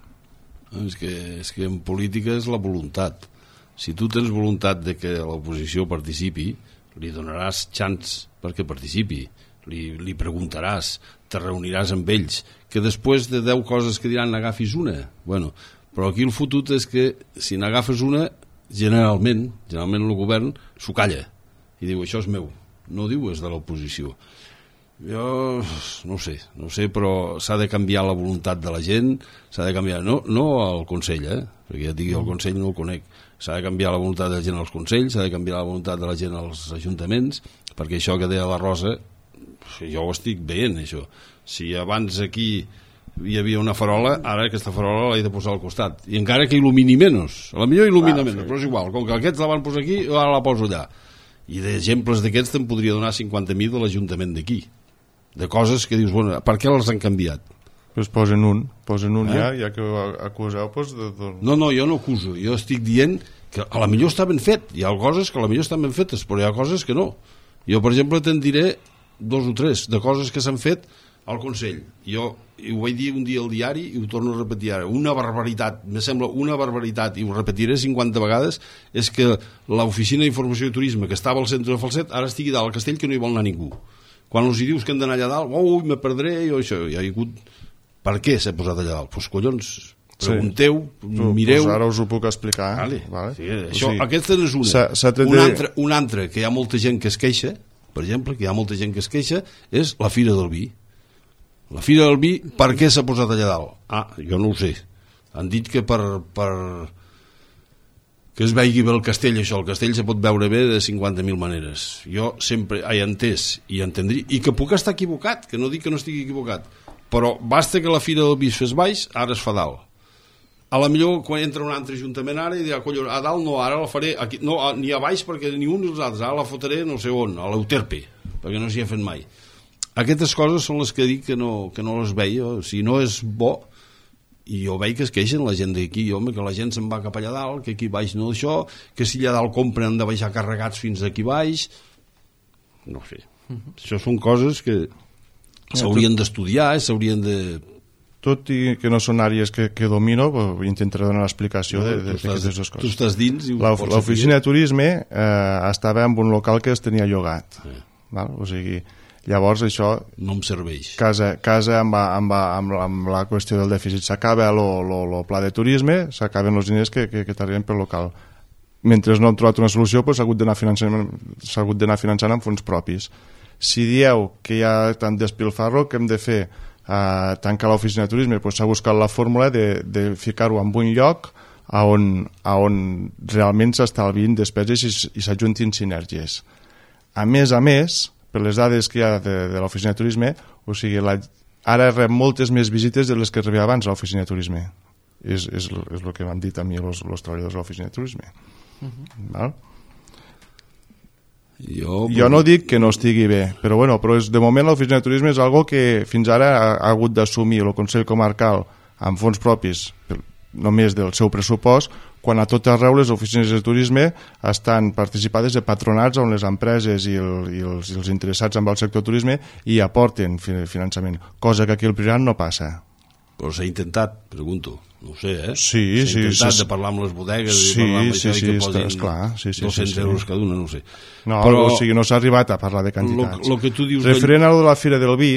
És que, és que en política és la voluntat. Si tu tens voluntat de que l'oposició participi, li donaràs xans perquè participi, li, li preguntaràs, te reuniràs amb ells, que després de deu coses que diran n'agafis una. Bueno, però aquí el fotut és que si n'agafes una, generalment, generalment el govern s'ho calla i diu això és meu, no diu és de l'oposició. Jo no ho sé, no ho sé, però s'ha de canviar la voluntat de la gent, s'ha de canviar, no, no al Consell, eh? perquè ja et digui el Consell no el conec, s'ha de canviar la voluntat de la gent als Consells, s'ha de canviar la voluntat de la gent als ajuntaments, perquè això que deia la Rosa, jo ho estic veient, això. Si abans aquí hi havia una farola, ara aquesta farola l'he de posar al costat, i encara que il·lumini menys, a la millor il·lumina ah, menys, sí. però és igual, com que aquests la van posar aquí, ara la poso allà. I d'exemples d'aquests te'n podria donar cinquanta mil de l'Ajuntament d'aquí, de coses que dius, bueno, per què les han canviat? Pues posen un, posen un eh? ja, ja que ho acuseu, pues de, de... No, no, jo no acuso, jo estic dient que a la millor està ben fet, hi ha coses que a la millor estan ben fetes, però hi ha coses que no. Jo, per exemple, te'n diré dos o tres de coses que s'han fet al Consell. Jo i ho vaig dir un dia al diari i ho torno a repetir ara. Una barbaritat, me sembla una barbaritat, i ho repetiré cinquanta vegades, és que l'Oficina d'Informació i Turisme, que estava al centre de Falset, ara estigui dalt al castell que no hi vol anar ningú. Quan els hi dius que han d'anar allà dalt, ui, me perdré, jo això, hi ha hagut... Per què s'ha posat allà dalt? Doncs pues, collons, pregunteu, sí. mireu... Pues ara us ho puc explicar. Vale. Vale. Sí, això, sí. Aquesta és una. S'ha, de... una, altra, una altra, que hi ha molta gent que es queixa, per exemple, que hi ha molta gent que es queixa, és la Fira del Vi. La Fira del Vi, per què s'ha posat allà dalt? Ah, jo no ho sé. Han dit que per... per... que es vegi bé el castell, això. El castell se pot veure bé de cinquanta mil maneres. Jo sempre he entès i entendria, i que puc estar equivocat, que no dic que no estigui equivocat, però basta que la Fira del Vi es fes baix, ara es fa dalt. A la millor quan entra un altre ajuntament ara i dirà, collons, a dalt no, ara la faré aquí, no, ni a baix perquè ni un ni els altres, ara la fotré no sé on, a l'Euterpe, perquè no s'hi ha fet mai. Aquestes coses són les que dic que no, que no les veia, si no és bo, i jo veig que es queixen la gent d'aquí, home, que la gent se'n va cap allà dalt, que aquí baix no això, que si allà dalt compren han de baixar carregats fins aquí baix, no sé. Uh-huh. Això són coses que s'haurien d'estudiar, s'haurien de... Tot i que no són àrees que, que domino, intentaré donar l'explicació no, d'aquestes dues coses. Tu estàs dins i l'oficina de turisme eh, estava en un local que es tenia llogat. Eh. Val? O sigui, llavors això... No em serveix. Casa, casa amb, amb, amb, amb la qüestió del dèficit. S'acaba el pla de turisme, s'acaben els diners que, que, que t'arriben pel local. Mentre no hem trobat una solució, s'ha hagut d'anar finançant, s'ha hagut d'anar finançant amb fons propis. Si dieu que hi ha tant despilfarro, que hem de fer Uh, tancar l'oficina de turisme, doncs s'ha buscat la fórmula de, de ficar-ho en un lloc a on, a on realment s'estalvin despeses i, i s'ajuntin sinergies. A més a més, per les dades que hi ha de, de l'oficina de turisme, o sigui, la, ara rep moltes més visites de les que rebia abans l'oficina de turisme. És, és, és el que m'han dit a mi els treballadors de l'oficina de turisme. Uh-huh. Val? Jo, jo no dic que no estigui bé, però, bueno, però és, de moment l'oficina de turisme és algo que fins ara ha, ha hagut d'assumir el Consell Comarcal amb fons propis només del seu pressupost, quan a tot arreu les oficines de turisme estan participades de patronats on les empreses i, el, i, els, i els interessats amb el sector turisme hi aporten finançament, cosa que aquí al Priorat no passa. Però s'ha intentat, pregunto. No ho sé, eh? Sí, s'ha sí, intentat sí, de parlar amb les bodegues sí, i parlar amb sí, això sí, i que posin esclar, sí, sí, dos-cents sí, sí. euros cada una, no ho sé. No, però, o sigui, no s'ha arribat a parlar de quantitats. Lo, lo que tu dius referent a lo de la Fira del Vi,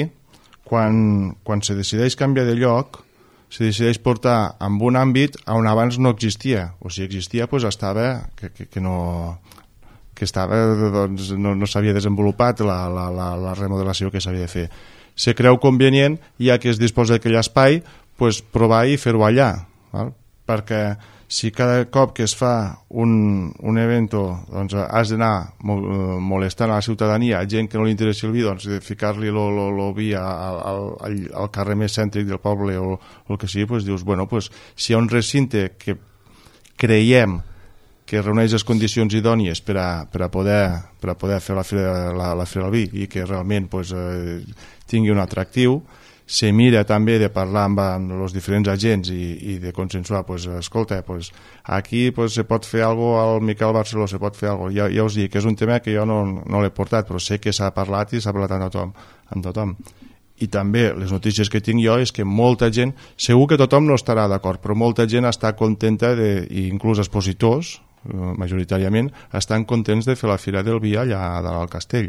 quan, quan se decideix canviar de lloc, se decideix portar en un àmbit on abans no existia. O si existia, doncs estava que, que, que no... que estava, doncs, no, no s'havia desenvolupat la, la, la, la remodelació que s'havia de fer. Se creu convenient, ja que es disposa d'aquell espai, pues, provar i fer-ho allà, val? Perquè si cada cop que es fa un, un evento doncs, has d'anar molestant a la ciutadania, gent que no li interessi el vi, doncs ficar-li el vi al, al, al carrer més cèntric del poble o el que sigui, doncs dius, bueno, pues, si hi ha un recinte que creiem que reuneix les condicions idònies per a, per a, poder, per a poder fer la Fira, la, la Fira del Vi i que realment pues, eh, tingui un atractiu, se mira també de parlar amb, amb els diferents agents i, i de consensuar, pues, escolta, pues, aquí pues, se pot fer alguna cosa al Miquel Barceló, se pot fer alguna cosa. Ja, ja us dic que és un tema que jo no, no l'he portat, però sé que s'ha parlat i s'ha parlat amb tothom, amb tothom. I també les notícies que tinc jo és que molta gent, segur que tothom no estarà d'acord, però molta gent està contenta, de, i inclús expositors, majoritàriament, estan contents de fer la Fira del Vi allà dalt al castell.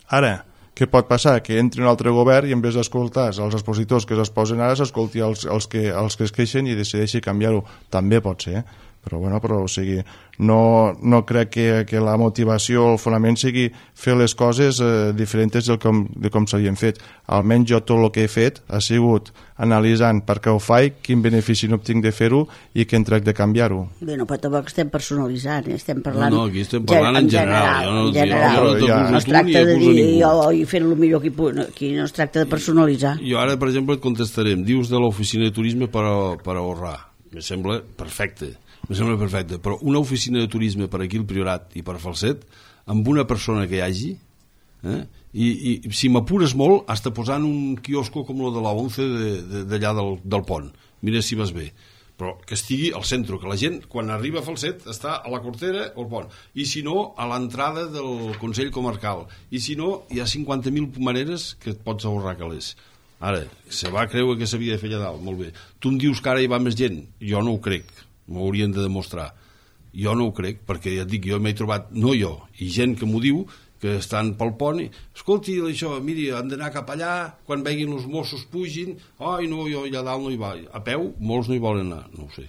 Ara, què pot passar? Que entri un altre govern i en vez d'escoltar els expositors que s'exposen ara s'escolti els, els, que, els que es queixen i decideixi canviar-ho. També pot ser, eh? Però, bueno, però, o sigui, no, no crec que, que la motivació o el fonament sigui fer les coses eh, diferents del com, de com s'havien fet. Almenys jo tot el que he fet ha sigut analitzant per què ho faig, quin benefici n'obtinc de fer-ho i què en trec de canviar-ho. Bé, no, però tampoc estem personalitzant, eh? Estem parlant... No, no, aquí estem parlant en general. En general, en general. Jo no, jo no, no es tracta de dir jo i fer el millor que puc, aquí no es tracta de personalitzar. Jo ara, per exemple, et contestarem. Dius de l'oficina de turisme per, a, per ahorrar. Me sembla perfecte. Me sembla perfecte, però una oficina de turisme per aquí al Priorat i per Falset, amb una persona que hi hagi, eh? I, i si m'apures molt, hasta posant un quiosco com el de la once d'allà de, de, del, del pont. Mira si vas bé. Però que estigui al centre, que la gent, quan arriba a Falset, està a la Cortera o al pont. I si no, a l'entrada del Consell Comarcal. I si no, hi ha cinquanta mil maneres que et pots ahorrar calés. Ara, se va creure que s'havia de fer allà dalt, molt bé. Tu em dius que ara hi va més gent? Jo no ho crec. M'ho haurien de demostrar. Jo no ho crec, perquè ja et dic, jo m'he trobat, no jo, i gent que m'ho diu, que estan pel pont i, escolti, això, miri, han d'anar cap allà, quan veguin els Mossos pugin, ai, no, jo allà dalt no hi va. A peu, molts no hi volen anar, no ho sé.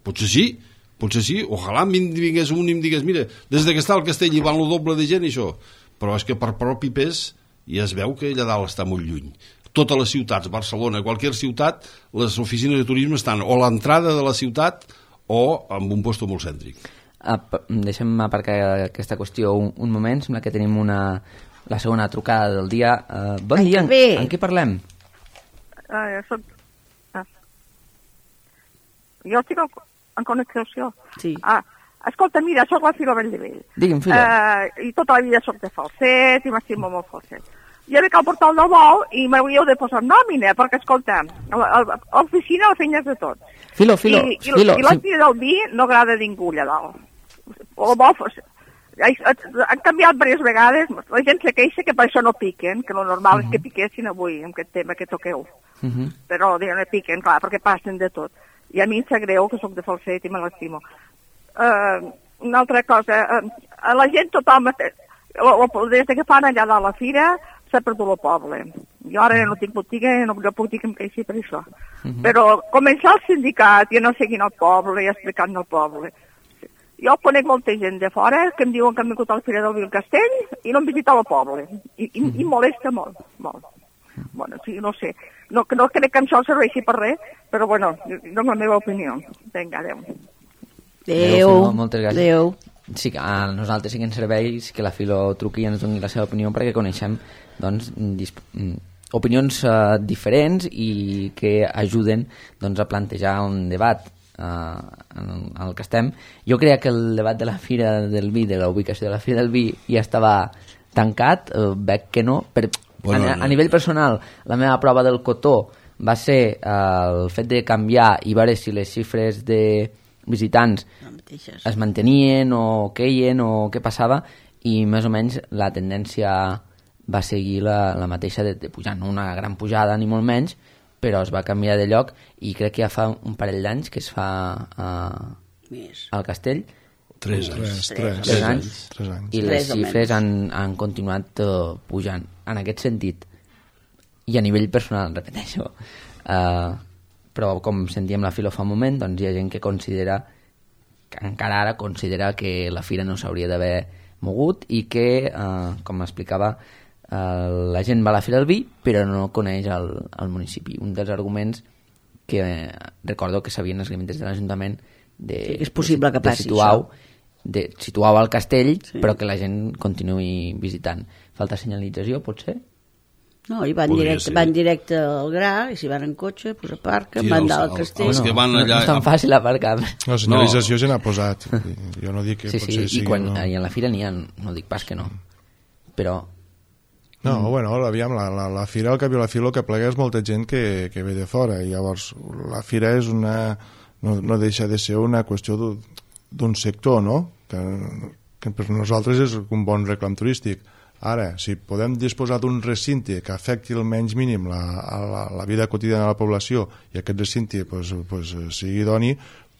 Potser sí, potser sí, ojalà em vingués un i em digués, mira, des que està al castell hi van el doble de gent i això, però és que per propi pes ja es veu que allà dalt està molt lluny. Totes les ciutats, Barcelona, qualsevol ciutat, les oficines de turisme estan o a l'entrada de la ciutat o en un lloc molt cèntric. Ap deixem aparcar aquesta qüestió un, un moment, sembla que tenim una, la segona trucada del dia. Uh, bon Ai, dia, en, en què parlem? Uh, soc... ah. Jo estic en connexió. Sí. Ah, escolta, mira, soc la Fila Belldevell. Digui'm, Fila. Uh, I tota la vida soc de Falset i m'estimo molt Falset. jo crec que al portal del bou i m'hauríeu de posar nòmina, perquè, escolta, a l'oficina la feina és de tot. Filo, filo, I, i, filo. I l'àmplia del vi no agrada a ningú allà dalt. El bou, han canviat diverses vegades, la gent se queixa que per això no piquen, que el normal uh -huh. és que piquessin avui, amb aquest tema que toqueu. Uh -huh. Però no piquen, clar, perquè passen de tot. I a mi em sap greu, que sóc de Falset i me l'estimo. Uh, una altra cosa, uh, a la gent tothom, des que fan allà de la fira, s'ha perdut el poble. Jo ara no tinc botiga, no, no puc dir que em queixi per això. Uh -huh. Però començar el sindicat i anar seguint el poble i explicant al poble. Jo conec molta gent de fora que em diuen que han vingut a la Fira del Vi al Castell i no han visitat el poble. I, i, i molesta molt, molt. Bueno, sí, no sé. No, no crec que això serveixi per res, però bueno, dono la meva opinió. Vinga, adeu. Adeu. Moltes gràcies. Adeu. Sí, que a nosaltres sí que ens serveix que la Filo truqui i ens doni la seva opinió perquè coneixem doncs, opinions uh, diferents i que ajuden doncs, a plantejar un debat uh, en el que estem. Jo creia que el debat de la Fira del Vi, de la ubicació de la Fira del Vi, ja estava tancat, uh, veig que no. Per, bueno, a, a nivell personal, la meva prova del cotó va ser uh, el fet de canviar i veure si les xifres de visitants es mantenien o queien o què passava, i més o menys la tendència va seguir la, la mateixa de, de pujar, no una gran pujada ni molt menys, però es va canviar de lloc i crec que ja fa un parell d'anys que es fa uh, al Castell. Tres anys. Tres, tres, tres anys, tres anys. I les xifres han, han continuat uh, pujant. En aquest sentit, i a nivell personal, repeteixo, uh, però com sentíem la Filo fa un moment, doncs hi ha gent que considera, que encara ara considera que la fira no s'hauria d'haver mogut i que, uh, com explicava, uh, la gent va a la Fira del Vi però no coneix el, el municipi. Un dels arguments que eh, recordo que s'havien esgrimit des de l'Ajuntament de, sí, és possible que passi situar de situar al castell, sí, però que la gent continuï visitant. Falta senyalització, potser? No, i van directe, van directe al gra, i si van en cotxe, pues aparquen, sí, van anar al castell. Els que van allà... No és tan fàcil aparcar. La senyalització no. Se n'ha posat. Jo no dic que sí, potser sí, sigui... I quan, no. I a la fira n'hi ha, no dic pas que no. Però... No, mm. bueno, aviam, la, la, la fira, al cap i la fila, el que plega és molta gent que, que ve de fora, i llavors la fira és una... no, no deixa de ser una qüestió d'un sector, no? Que, que per nosaltres és un bon reclam turístic. Ara, si podem disposar d'un recinte que afecti el menys mínim la, la, la vida quotidiana de la població i aquest recinte pues, pues, sigui idoni,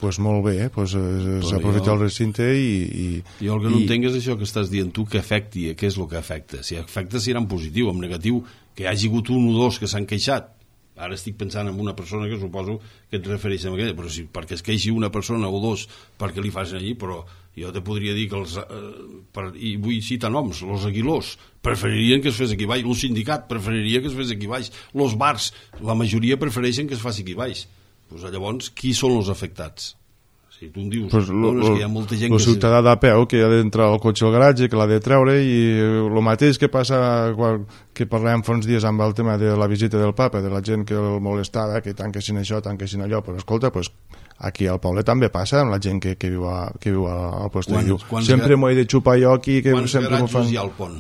pues molt bé, eh? pues, s'aprofita el recinte i, i... Jo el que no i... entenc és això que estàs dient tu, que afecti, què és el que afecta? Si afecta serà en positiu, en negatiu, que hi hagi hagut un o dos que s'han queixat. Ara estic pensant en una persona que suposo que et refereix a aquella, però si perquè es queixi una persona o dos perquè li facin allí, però jo te podria dir que els, eh, per, i vull citar noms, els Aguilós preferirien que es fes aquí baix, el sindicat preferiria que es fes aquí baix, els bars la majoria prefereixen que es faci aquí baix. Pues, llavors, qui són els afectats? Si tu em dius, pues lo, no, és que hi ha molta gent el que... El ciutadà de peu que ha d'entrar al cotxe al garatge, que l'ha de treure, i el mateix que passa quan, que parlàvem fa uns dies amb el tema de la visita del papa, de la gent que el molestava, que tanquessin això, tanquessin allò, però escolta, pues, aquí al poble també passa amb la gent que, que viu, a, que viu al poble. Diu, sempre m'ho he de xupar jo aquí, que sempre m'ho fan... Quants garatges hi ha al pont?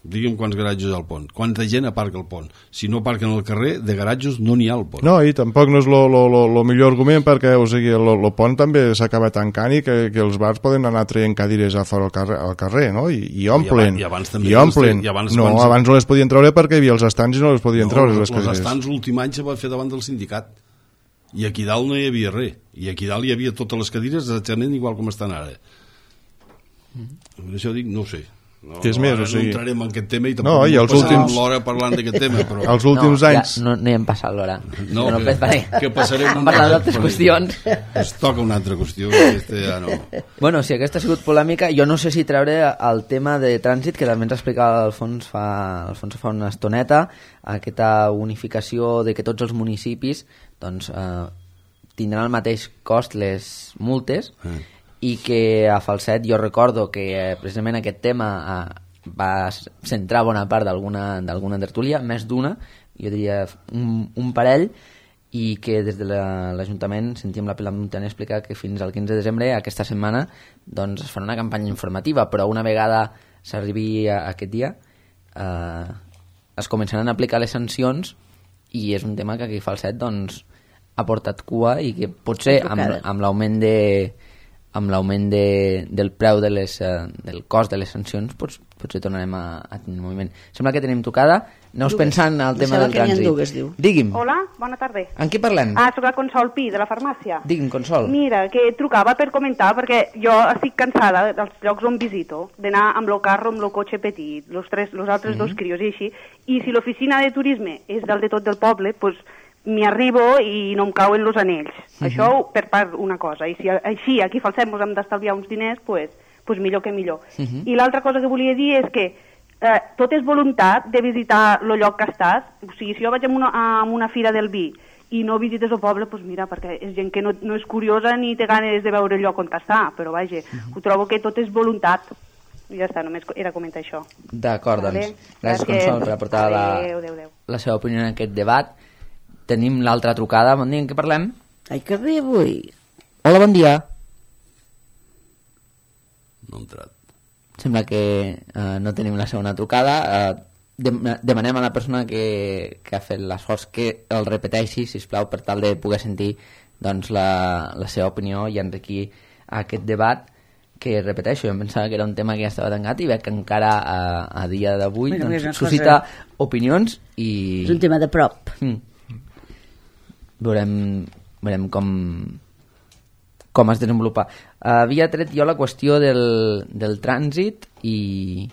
Digue'm quants garatges hi ha al pont. Quanta gent aparca al pont? Si no aparquen al carrer, de garatges no n'hi ha al pont. No, i tampoc no és el millor argument, perquè o sigui, el pont també s'acaba tancant i que, que els bars poden anar traient cadires a fora al carrer, al carrer no? I, i omplen. I, abans també I omplen. I abans, no, abans... abans no les podien treure perquè hi havia els estants i no les podien no, treure les els cadires. Els estants l'últim any se va fer davant del sindicat. I aquí dalt no hi havia res. I aquí dalt hi havia totes les cadires exactament igual com estan ara. Per això dic, no ho sé. No, que és no, més, o sigui... no entrarem en aquest tema i tampoc no, i els últims... l'hora parlant d'aquest tema, però... Els últims no, anys... Ja, no, no hi hem passat l'hora. No, no que, que passarem... Hem parlat d'altres qüestions. Es toca una altra qüestió, aquesta ja no... Bueno, si aquesta ha sigut polèmica, jo no sé si treure el tema de trànsit, que també ens explicava Alfons fa, Alfons fa una estoneta, aquesta unificació de que tots els municipis doncs, eh, tindran el mateix cost les multes, eh. i que a Falset jo recordo que eh, precisament aquest tema eh, va centrar bona part d'alguna tertúlia, més d'una, jo diria un, un parell, i que des de l'Ajuntament sentíem la Pilar Montaner explicar que fins al quinze de desembre, aquesta setmana, doncs es farà una campanya informativa, però una vegada s'arribi a aquest dia, eh, es començaran a aplicar les sancions i és un tema que aquí Falset doncs, ha portat cua i que potser amb, amb l'augment de amb l'augment de, del preu de les, uh, del cost de les sancions pots, potser tornarem a, a tenir moviment. Sembla que tenim trucada. Aneu pensant al tema del trànsit. Dues, diu. Digui'm. Hola, bona tarda. En qui parlem? Ah, soc la Consol Pi, de la farmàcia. Digui'm, Consol. Mira, que trucava per comentar, perquè jo estic cansada dels llocs on visito, d'anar amb el carro, amb el cotxe petit, los, tres, los altres mm-hmm. dos crios i així, i si l'oficina de turisme és del de tot del poble, doncs pues, m'hi arribo i no em cauen els anells. Uh-huh. Això per part una cosa. I si així aquí Falset ens hem d'estalviar uns diners, pues, pues millor que millor. Uh-huh. I l'altra cosa que volia dir és que eh, tot és voluntat de visitar el lloc que estàs. O sigui, si jo vaig a una, a una fira del vi i no visites el poble, doncs mira, perquè és gent que no, no és curiosa ni té ganes de veure el lloc on està, però vaja, uh-huh. ho trobo que tot és voluntat. I ja està, només era comentar això. D'acord, vale? doncs. Gràcies, Consol, per aportar la, adeu, adeu, adeu. la seva opinió en aquest debat. Tenim l'altra trucada. Bon dia, en què parlem? Ai, que bé avui. Hola, bon dia. No ha entrat. Sembla que uh, no tenim la segona trucada. Uh, dem demanem a la persona que, que ha fet l'esforç que el repeteixi, sisplau, per tal de poder sentir doncs, la, la seva opinió i enriquir aquest debat que, repeteixo, jo em pensava que era un tema que ja estava tancat i veig que encara a, a dia d'avui bueno, doncs, suscita cosa... opinions i... És un tema de prop. Mm. Veurem, veurem com, com es desenvolupa. Havia tret jo la qüestió del, del trànsit i,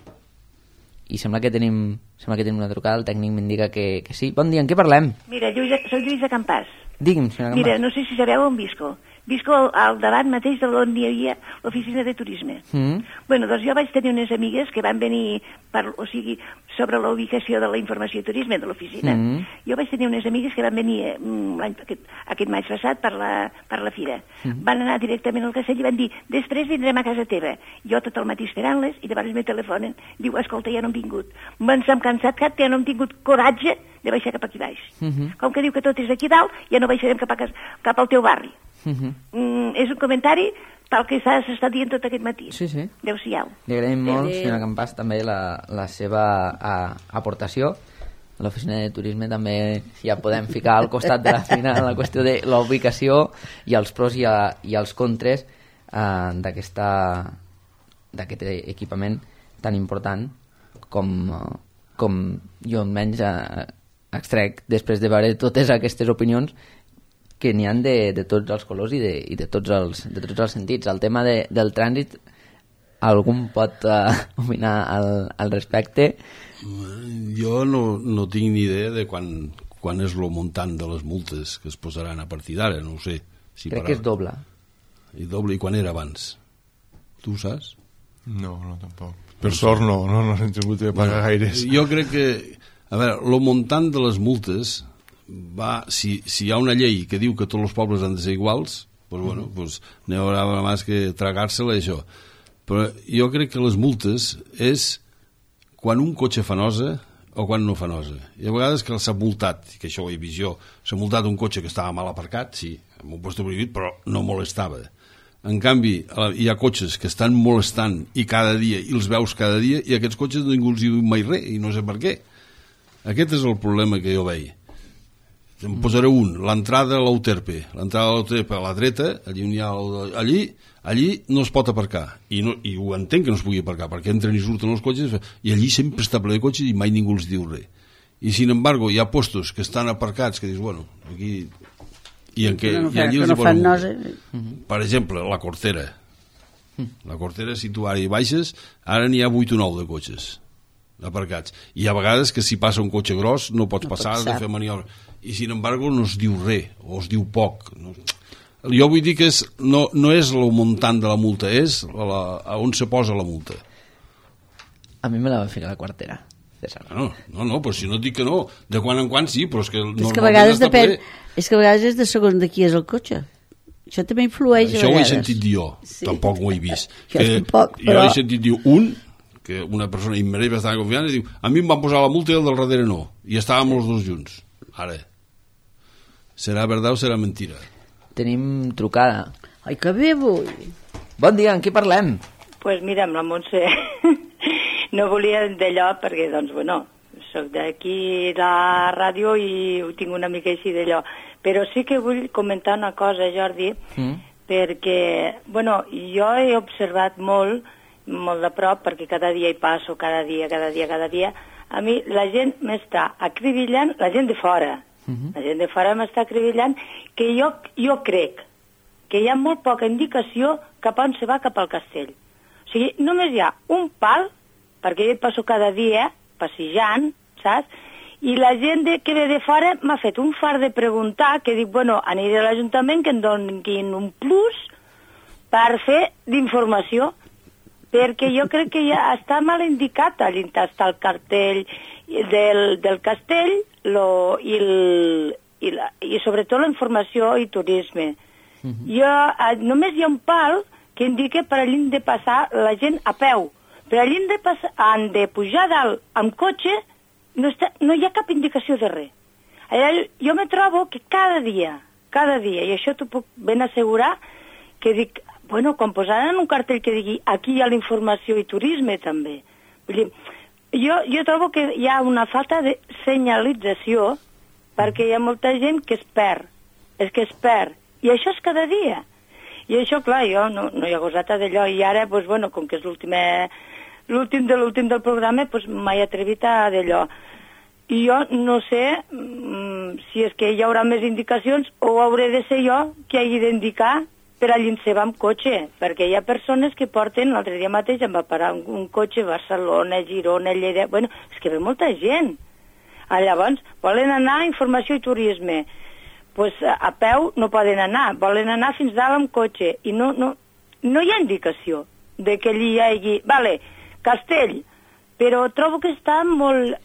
i sembla que tenim sembla que tenim una trucada, el tècnic m'indica que, que sí. Bon dia, en què parlem? Mira, Lluïsa, soc Lluïsa Campàs. Digui'm, senyora Campàs. Mira, no sé si sabeu on visco. Visco al, al davant mateix d'on hi havia l'oficina de turisme. Mm. Bueno, doncs jo vaig tenir unes amigues que van venir, per, o sigui, sobre la ubicació de la informació de turisme de l'oficina. Mm. Jo vaig tenir unes amigues que van venir mm, aquest, aquest maig passat per la, per la fira. Mm. Van anar directament al castell i van dir, després vindrem a casa teva. Jo tot el matí esperant-les i llavors me telefonen. Diu, escolta, ja no hem vingut. Ens hem cansat cap, ja no hem tingut coratge de baixar cap aquí baix. Mm-hmm. Com que diu que tot és aquí dalt, ja no baixarem cap, a, cap al teu barri. Uh-huh. mm, és un comentari tal que s'ha estat dient tot aquest matí. Sí, sí. Adéu-siau. Li agraïm molt, senyora Campàs, també la, la seva a, aportació. A l'oficina de turisme també ja podem ficar al costat de la fina la qüestió de la ubicació i els pros i, a, i els contres eh, d'aquesta d'aquest equipament tan important com, com jo almenys eh, extrec després de veure totes aquestes opinions que n'hi han de, de tots els colors i de, i de, tots els, de tots els sentits. El tema de, del trànsit, algun pot uh, opinar al, al respecte? Jo no, no tinc ni idea de quan, quan és el muntant de les multes que es posaran a partir d'ara, no ho sé. Si Crec para... que és doble. I doble, i quan era abans? Tu ho saps? No, no, tampoc. Per sort no, no, no hem tingut de pagar no, gaires. Jo crec que, a veure, el muntant de les multes... Va, si, si hi ha una llei que diu que tots els pobles han de ser iguals, pues bueno, pues n'hi haurà més que tragar-se-la això. Però jo crec que les multes és quan un cotxe fa nosa o quan no fa nosa. I a vegades que s'ha multat, que això ho he vist jo, s'ha multat un cotxe que estava mal aparcat, sí, amb un post prohibit, però no molestava. En canvi, hi ha cotxes que estan molestant i cada dia, i els veus cada dia, i aquests cotxes ningú els diu mai res, i no sé per què. Aquest és el problema que jo veig. En posaré un, l'entrada a l'Euterpe. L'entrada a l'Euterpe a la dreta, allí, on hi ha el, allí, allí no es pot aparcar. I, no, I ho entenc que no es pugui aparcar, perquè entren i surten els cotxes, i allí sempre està ple de cotxes i mai ningú els diu res. I, sin embargo, hi ha postos que estan aparcats, que dius, bueno, aquí... I, en què, no, i allí els no fan nosa. Per exemple, la Cortera. La Cortera, si tu ara hi baixes, ara n'hi ha vuit o nou de cotxes aparcats. I a vegades que si passa un cotxe gros no pots no passar, has de fer maniobra. I sin embargo no es diu res, o es diu poc. No. Jo vull dir que és, no, no és el muntant de la multa, és la, a on se posa la multa. A mi me la va ficar la Quartera. No, no, no, però si no et dic que no, de quan en quan sí, però és que... És que a vegades depèn, és que a vegades és de segons de qui és el cotxe. Això també influeix Això a vegades. Això ho he sentit dir jo, sí. Tampoc ho he vist. jo que, tampoc, però... Jo he sentit dir un, que una persona immediatament bastant confiant, i diu, a mi em van posar la multa i el del darrere no, i estàvem els dos junts. Ara, serà verdad o serà mentira? Tenim trucada. Ai, que bé vull. Bon dia, en qui parlem? Doncs pues mira, amb la Montse no volia d'allò perquè, doncs, bueno, soc d'aquí la ràdio i ho tinc una mica així d'allò. Però sí que vull comentar una cosa, Jordi, mm. perquè, bueno, jo he observat molt, molt de prop, perquè cada dia hi passo, cada dia, cada dia, cada dia, a mi la gent m'està acribillant, la gent de fora, mm-hmm. la gent de fora m'està acribillant, que jo, jo crec que hi ha molt poca indicació cap on se va cap al castell. O sigui, només hi ha un pal, perquè jo hi passo cada dia, passejant, saps? I la gent de, que ve de fora m'ha fet un far de preguntar, que dic, bueno, aniré a l'Ajuntament que em donin un plus per fer d'informació, perquè jo crec que ja està mal indicat, allà està el cartell del, del castell lo, i, el, i, la, i sobretot la informació i turisme. Mm-hmm. Jo, només hi ha un pal que indica per allà de passar la gent a peu, per allà de passar, han de pujar dalt amb cotxe. No, està, no hi ha cap indicació de res. Allà, jo me trobo que cada dia, cada dia, i això t'ho puc ben assegurar, que dic, bueno, quan posaran un cartell que digui aquí hi ha la informació i turisme també. Vull dir, jo, jo trobo que hi ha una falta de senyalització perquè hi ha molta gent que es perd, és que es perd, i això és cada dia. I això, clar, jo no, no hi ha gosata d'allò, i ara, doncs, bueno, com que és l'últim l'últim de l'últim del programa, doncs m'he atrevit a d'allò. I jo no sé mm, si és que hi haurà més indicacions o hauré de ser jo que hagi d'indicar per allà en seva amb cotxe, perquè hi ha persones que porten, l'altre dia mateix em va parar un, un cotxe a Barcelona, Girona, Lleida, bueno, és que ve molta gent. Ah, llavors, volen anar a informació i turisme, pues a peu no poden anar, volen anar fins dalt amb cotxe, i no, no, no hi ha indicació de que allí hi hagi, vale, castell, però trobo que està molt...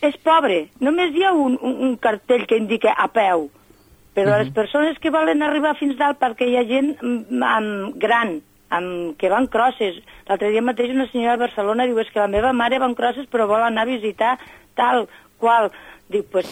és pobre, només hi ha un, un, un cartell que indica a peu, però uh-huh. les persones que volen arribar fins dalt, perquè hi ha gent amb, gran, amb, que van crosses. L'altre dia mateix una senyora de Barcelona diu, és que la meva mare va amb crosses però vol anar a visitar tal qual. Dic, pues,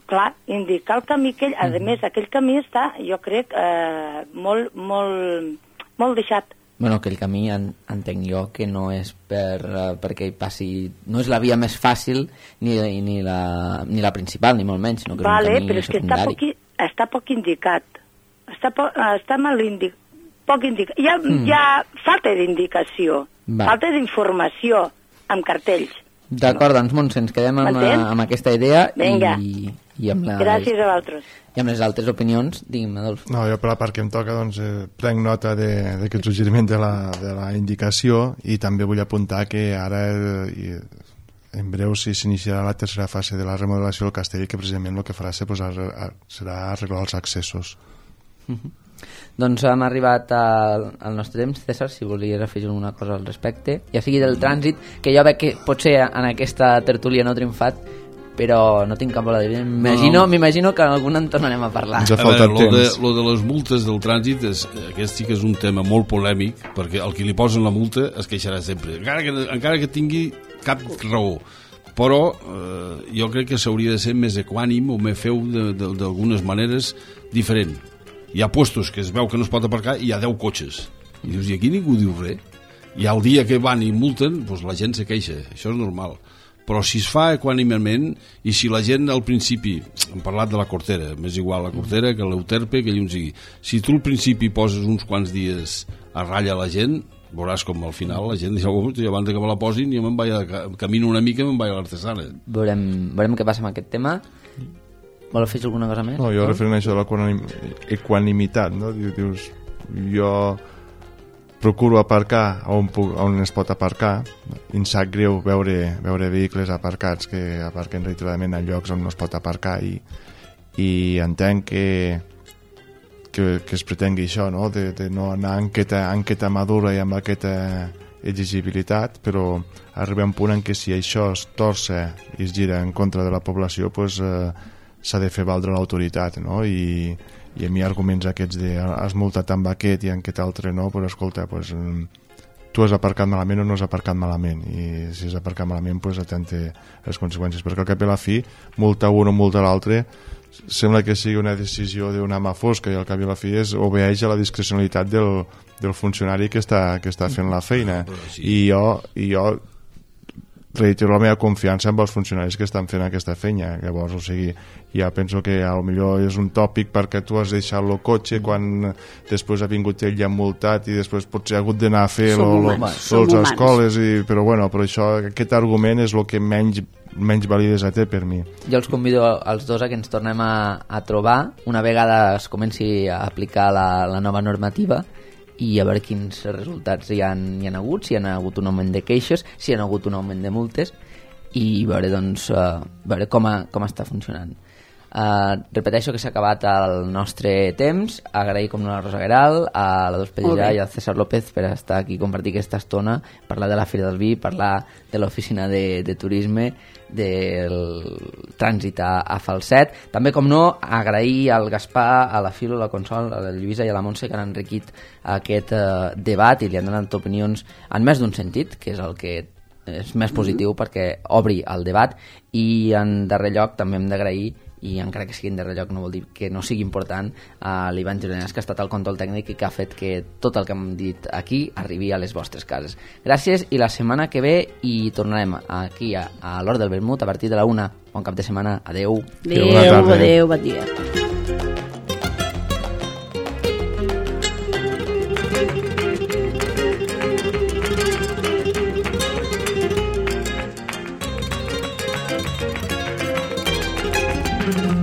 clar, indicar el camí aquell, uh-huh. a més, aquell camí està, jo crec, eh, molt, molt, molt deixat. Bueno, aquell camí en, entenc jo que no és per, uh, perquè hi passi... No és la via més fàcil ni, ni, la, ni la principal, ni molt menys, sinó que vale, és un camí però és que està poc, està poc indicat. Està, po, està mal indicat. Poc indicat. Hi ha, mm. hi ha falta d'indicació, falta d'informació amb cartells. D'acord, doncs, Montse, ens quedem amb, amb aquesta idea i, i amb la... Gràcies a vosaltres. I amb les altres opinions, digui'm, Adolf. No, jo per la part que em toca, doncs, eh, prenc nota d'aquest suggeriment de la, de la indicació i també vull apuntar que ara, eh, en breu, si s'iniciarà la tercera fase de la remodelació del castell, que precisament el que farà ser, pues, ar, ar, serà arreglar els accessos. Uh-huh. Doncs hem arribat al, al nostre temps. César, si volies afegir alguna cosa al respecte, ja sigui del trànsit, que jo veig que potser en aquesta tertúlia no he triomfat, però no tinc cap bola de vida. M'imagino, no. m'imagino que en algun en tornarem a parlar. A veure, lo de, lo de les multes del trànsit, és, aquest sí que és un tema molt polèmic, perquè el que li posen la multa es queixarà sempre, encara que, encara que tingui cap raó. Però eh, jo crec que s'hauria de ser més equànim o més feu d'algunes maneres diferent. Hi ha puestos que es veu que no es pot aparcar i hi ha deu cotxes. I dius, i aquí ningú diu res? I el dia que van i multen, doncs la gent se queixa. Això és normal. Però si es fa equànimament i si la gent al principi, hem parlat de la Cortera, m'és igual la Cortera que l'Euterpe, que llum sigui, si tu al principi poses uns quants dies a ratlla la gent, veuràs com al final la gent diu, oh, abans que me la posin jo me'n vaig a, camino una mica i me'n vaig a l'Artesana. Veurem, veurem què passa amb aquest tema. Vol afegir alguna cosa més? No, jo referent a això de l'equanimitat, no? Dius, jo procuro aparcar on, puc, on es pot aparcar, i em sap greu veure, veure vehicles aparcats que aparquen reiteradament a llocs on no es pot aparcar, i, i entenc que, que, que es pretengui això, no? De, de no anar en aquesta, en aquesta madura i amb aquesta exigibilitat, però arriba un punt en què si això es torça i es gira en contra de la població, pues, eh, s'ha de fer valdre l'autoritat, no? I, i a mi arguments aquests de has multat amb aquest i en aquest altre no, però escolta, pues, tu has aparcat malament o no has aparcat malament, i si has aparcat malament, pues, atente les conseqüències, perquè al cap i la fi multa un o multa l'altre sembla que sigui una decisió d'una mà fosca, i al cap i la fi és obeeix a la discrecionalitat del, del funcionari que està, que està fent la feina. I jo, i jo reitero la meva confiança amb els funcionaris que estan fent aquesta feina. Llavors, o sigui, ja penso que a lo millor és un tòpic perquè tu has deixat el cotxe quan després ha vingut ell ja multat i després potser ha hagut d'anar a fer les escoles, i, però bueno, però això, aquest argument és el que menys menys validesa té per mi. Jo els convido als dos a que ens tornem a, a trobar una vegada es comenci a aplicar la, la nova normativa i a veure quins resultats hi ha, hi ha hagut, si hi ha hagut un augment de queixes, si hi ha hagut un augment de multes i veure, doncs, uh, veure com, a, com està funcionant. Uh, repeteixo que s'ha acabat el nostre temps. Agrair com no a la Rosa Gueral, a la Dols Pellijà i al César López per estar aquí i compartir aquesta estona, parlar de la Fira del Vi, parlar de l'oficina de, de turisme, del trànsit a, a Falset. També, com no, agrair al Gaspar, a la Filo, a la Consol, a la Lluïsa i a la Montse que han enriquit aquest uh, debat i li han donat opinions en més d'un sentit, que és el que és més positiu perquè obri el debat. I en darrer lloc també hem d'agrair, i encara que sigui en darrer lloc no vol dir que no sigui important, a l'Ivan Gironès, que ha estat el control tècnic i que ha fet que tot el que hem dit aquí arribi a les vostres cases. Gràcies, i la setmana que ve hi tornarem aquí a, a l'Hora del Vermut a partir de la una. Bon cap de setmana. Adeu. Adeu, adeu, bon dia. Mm-hmm.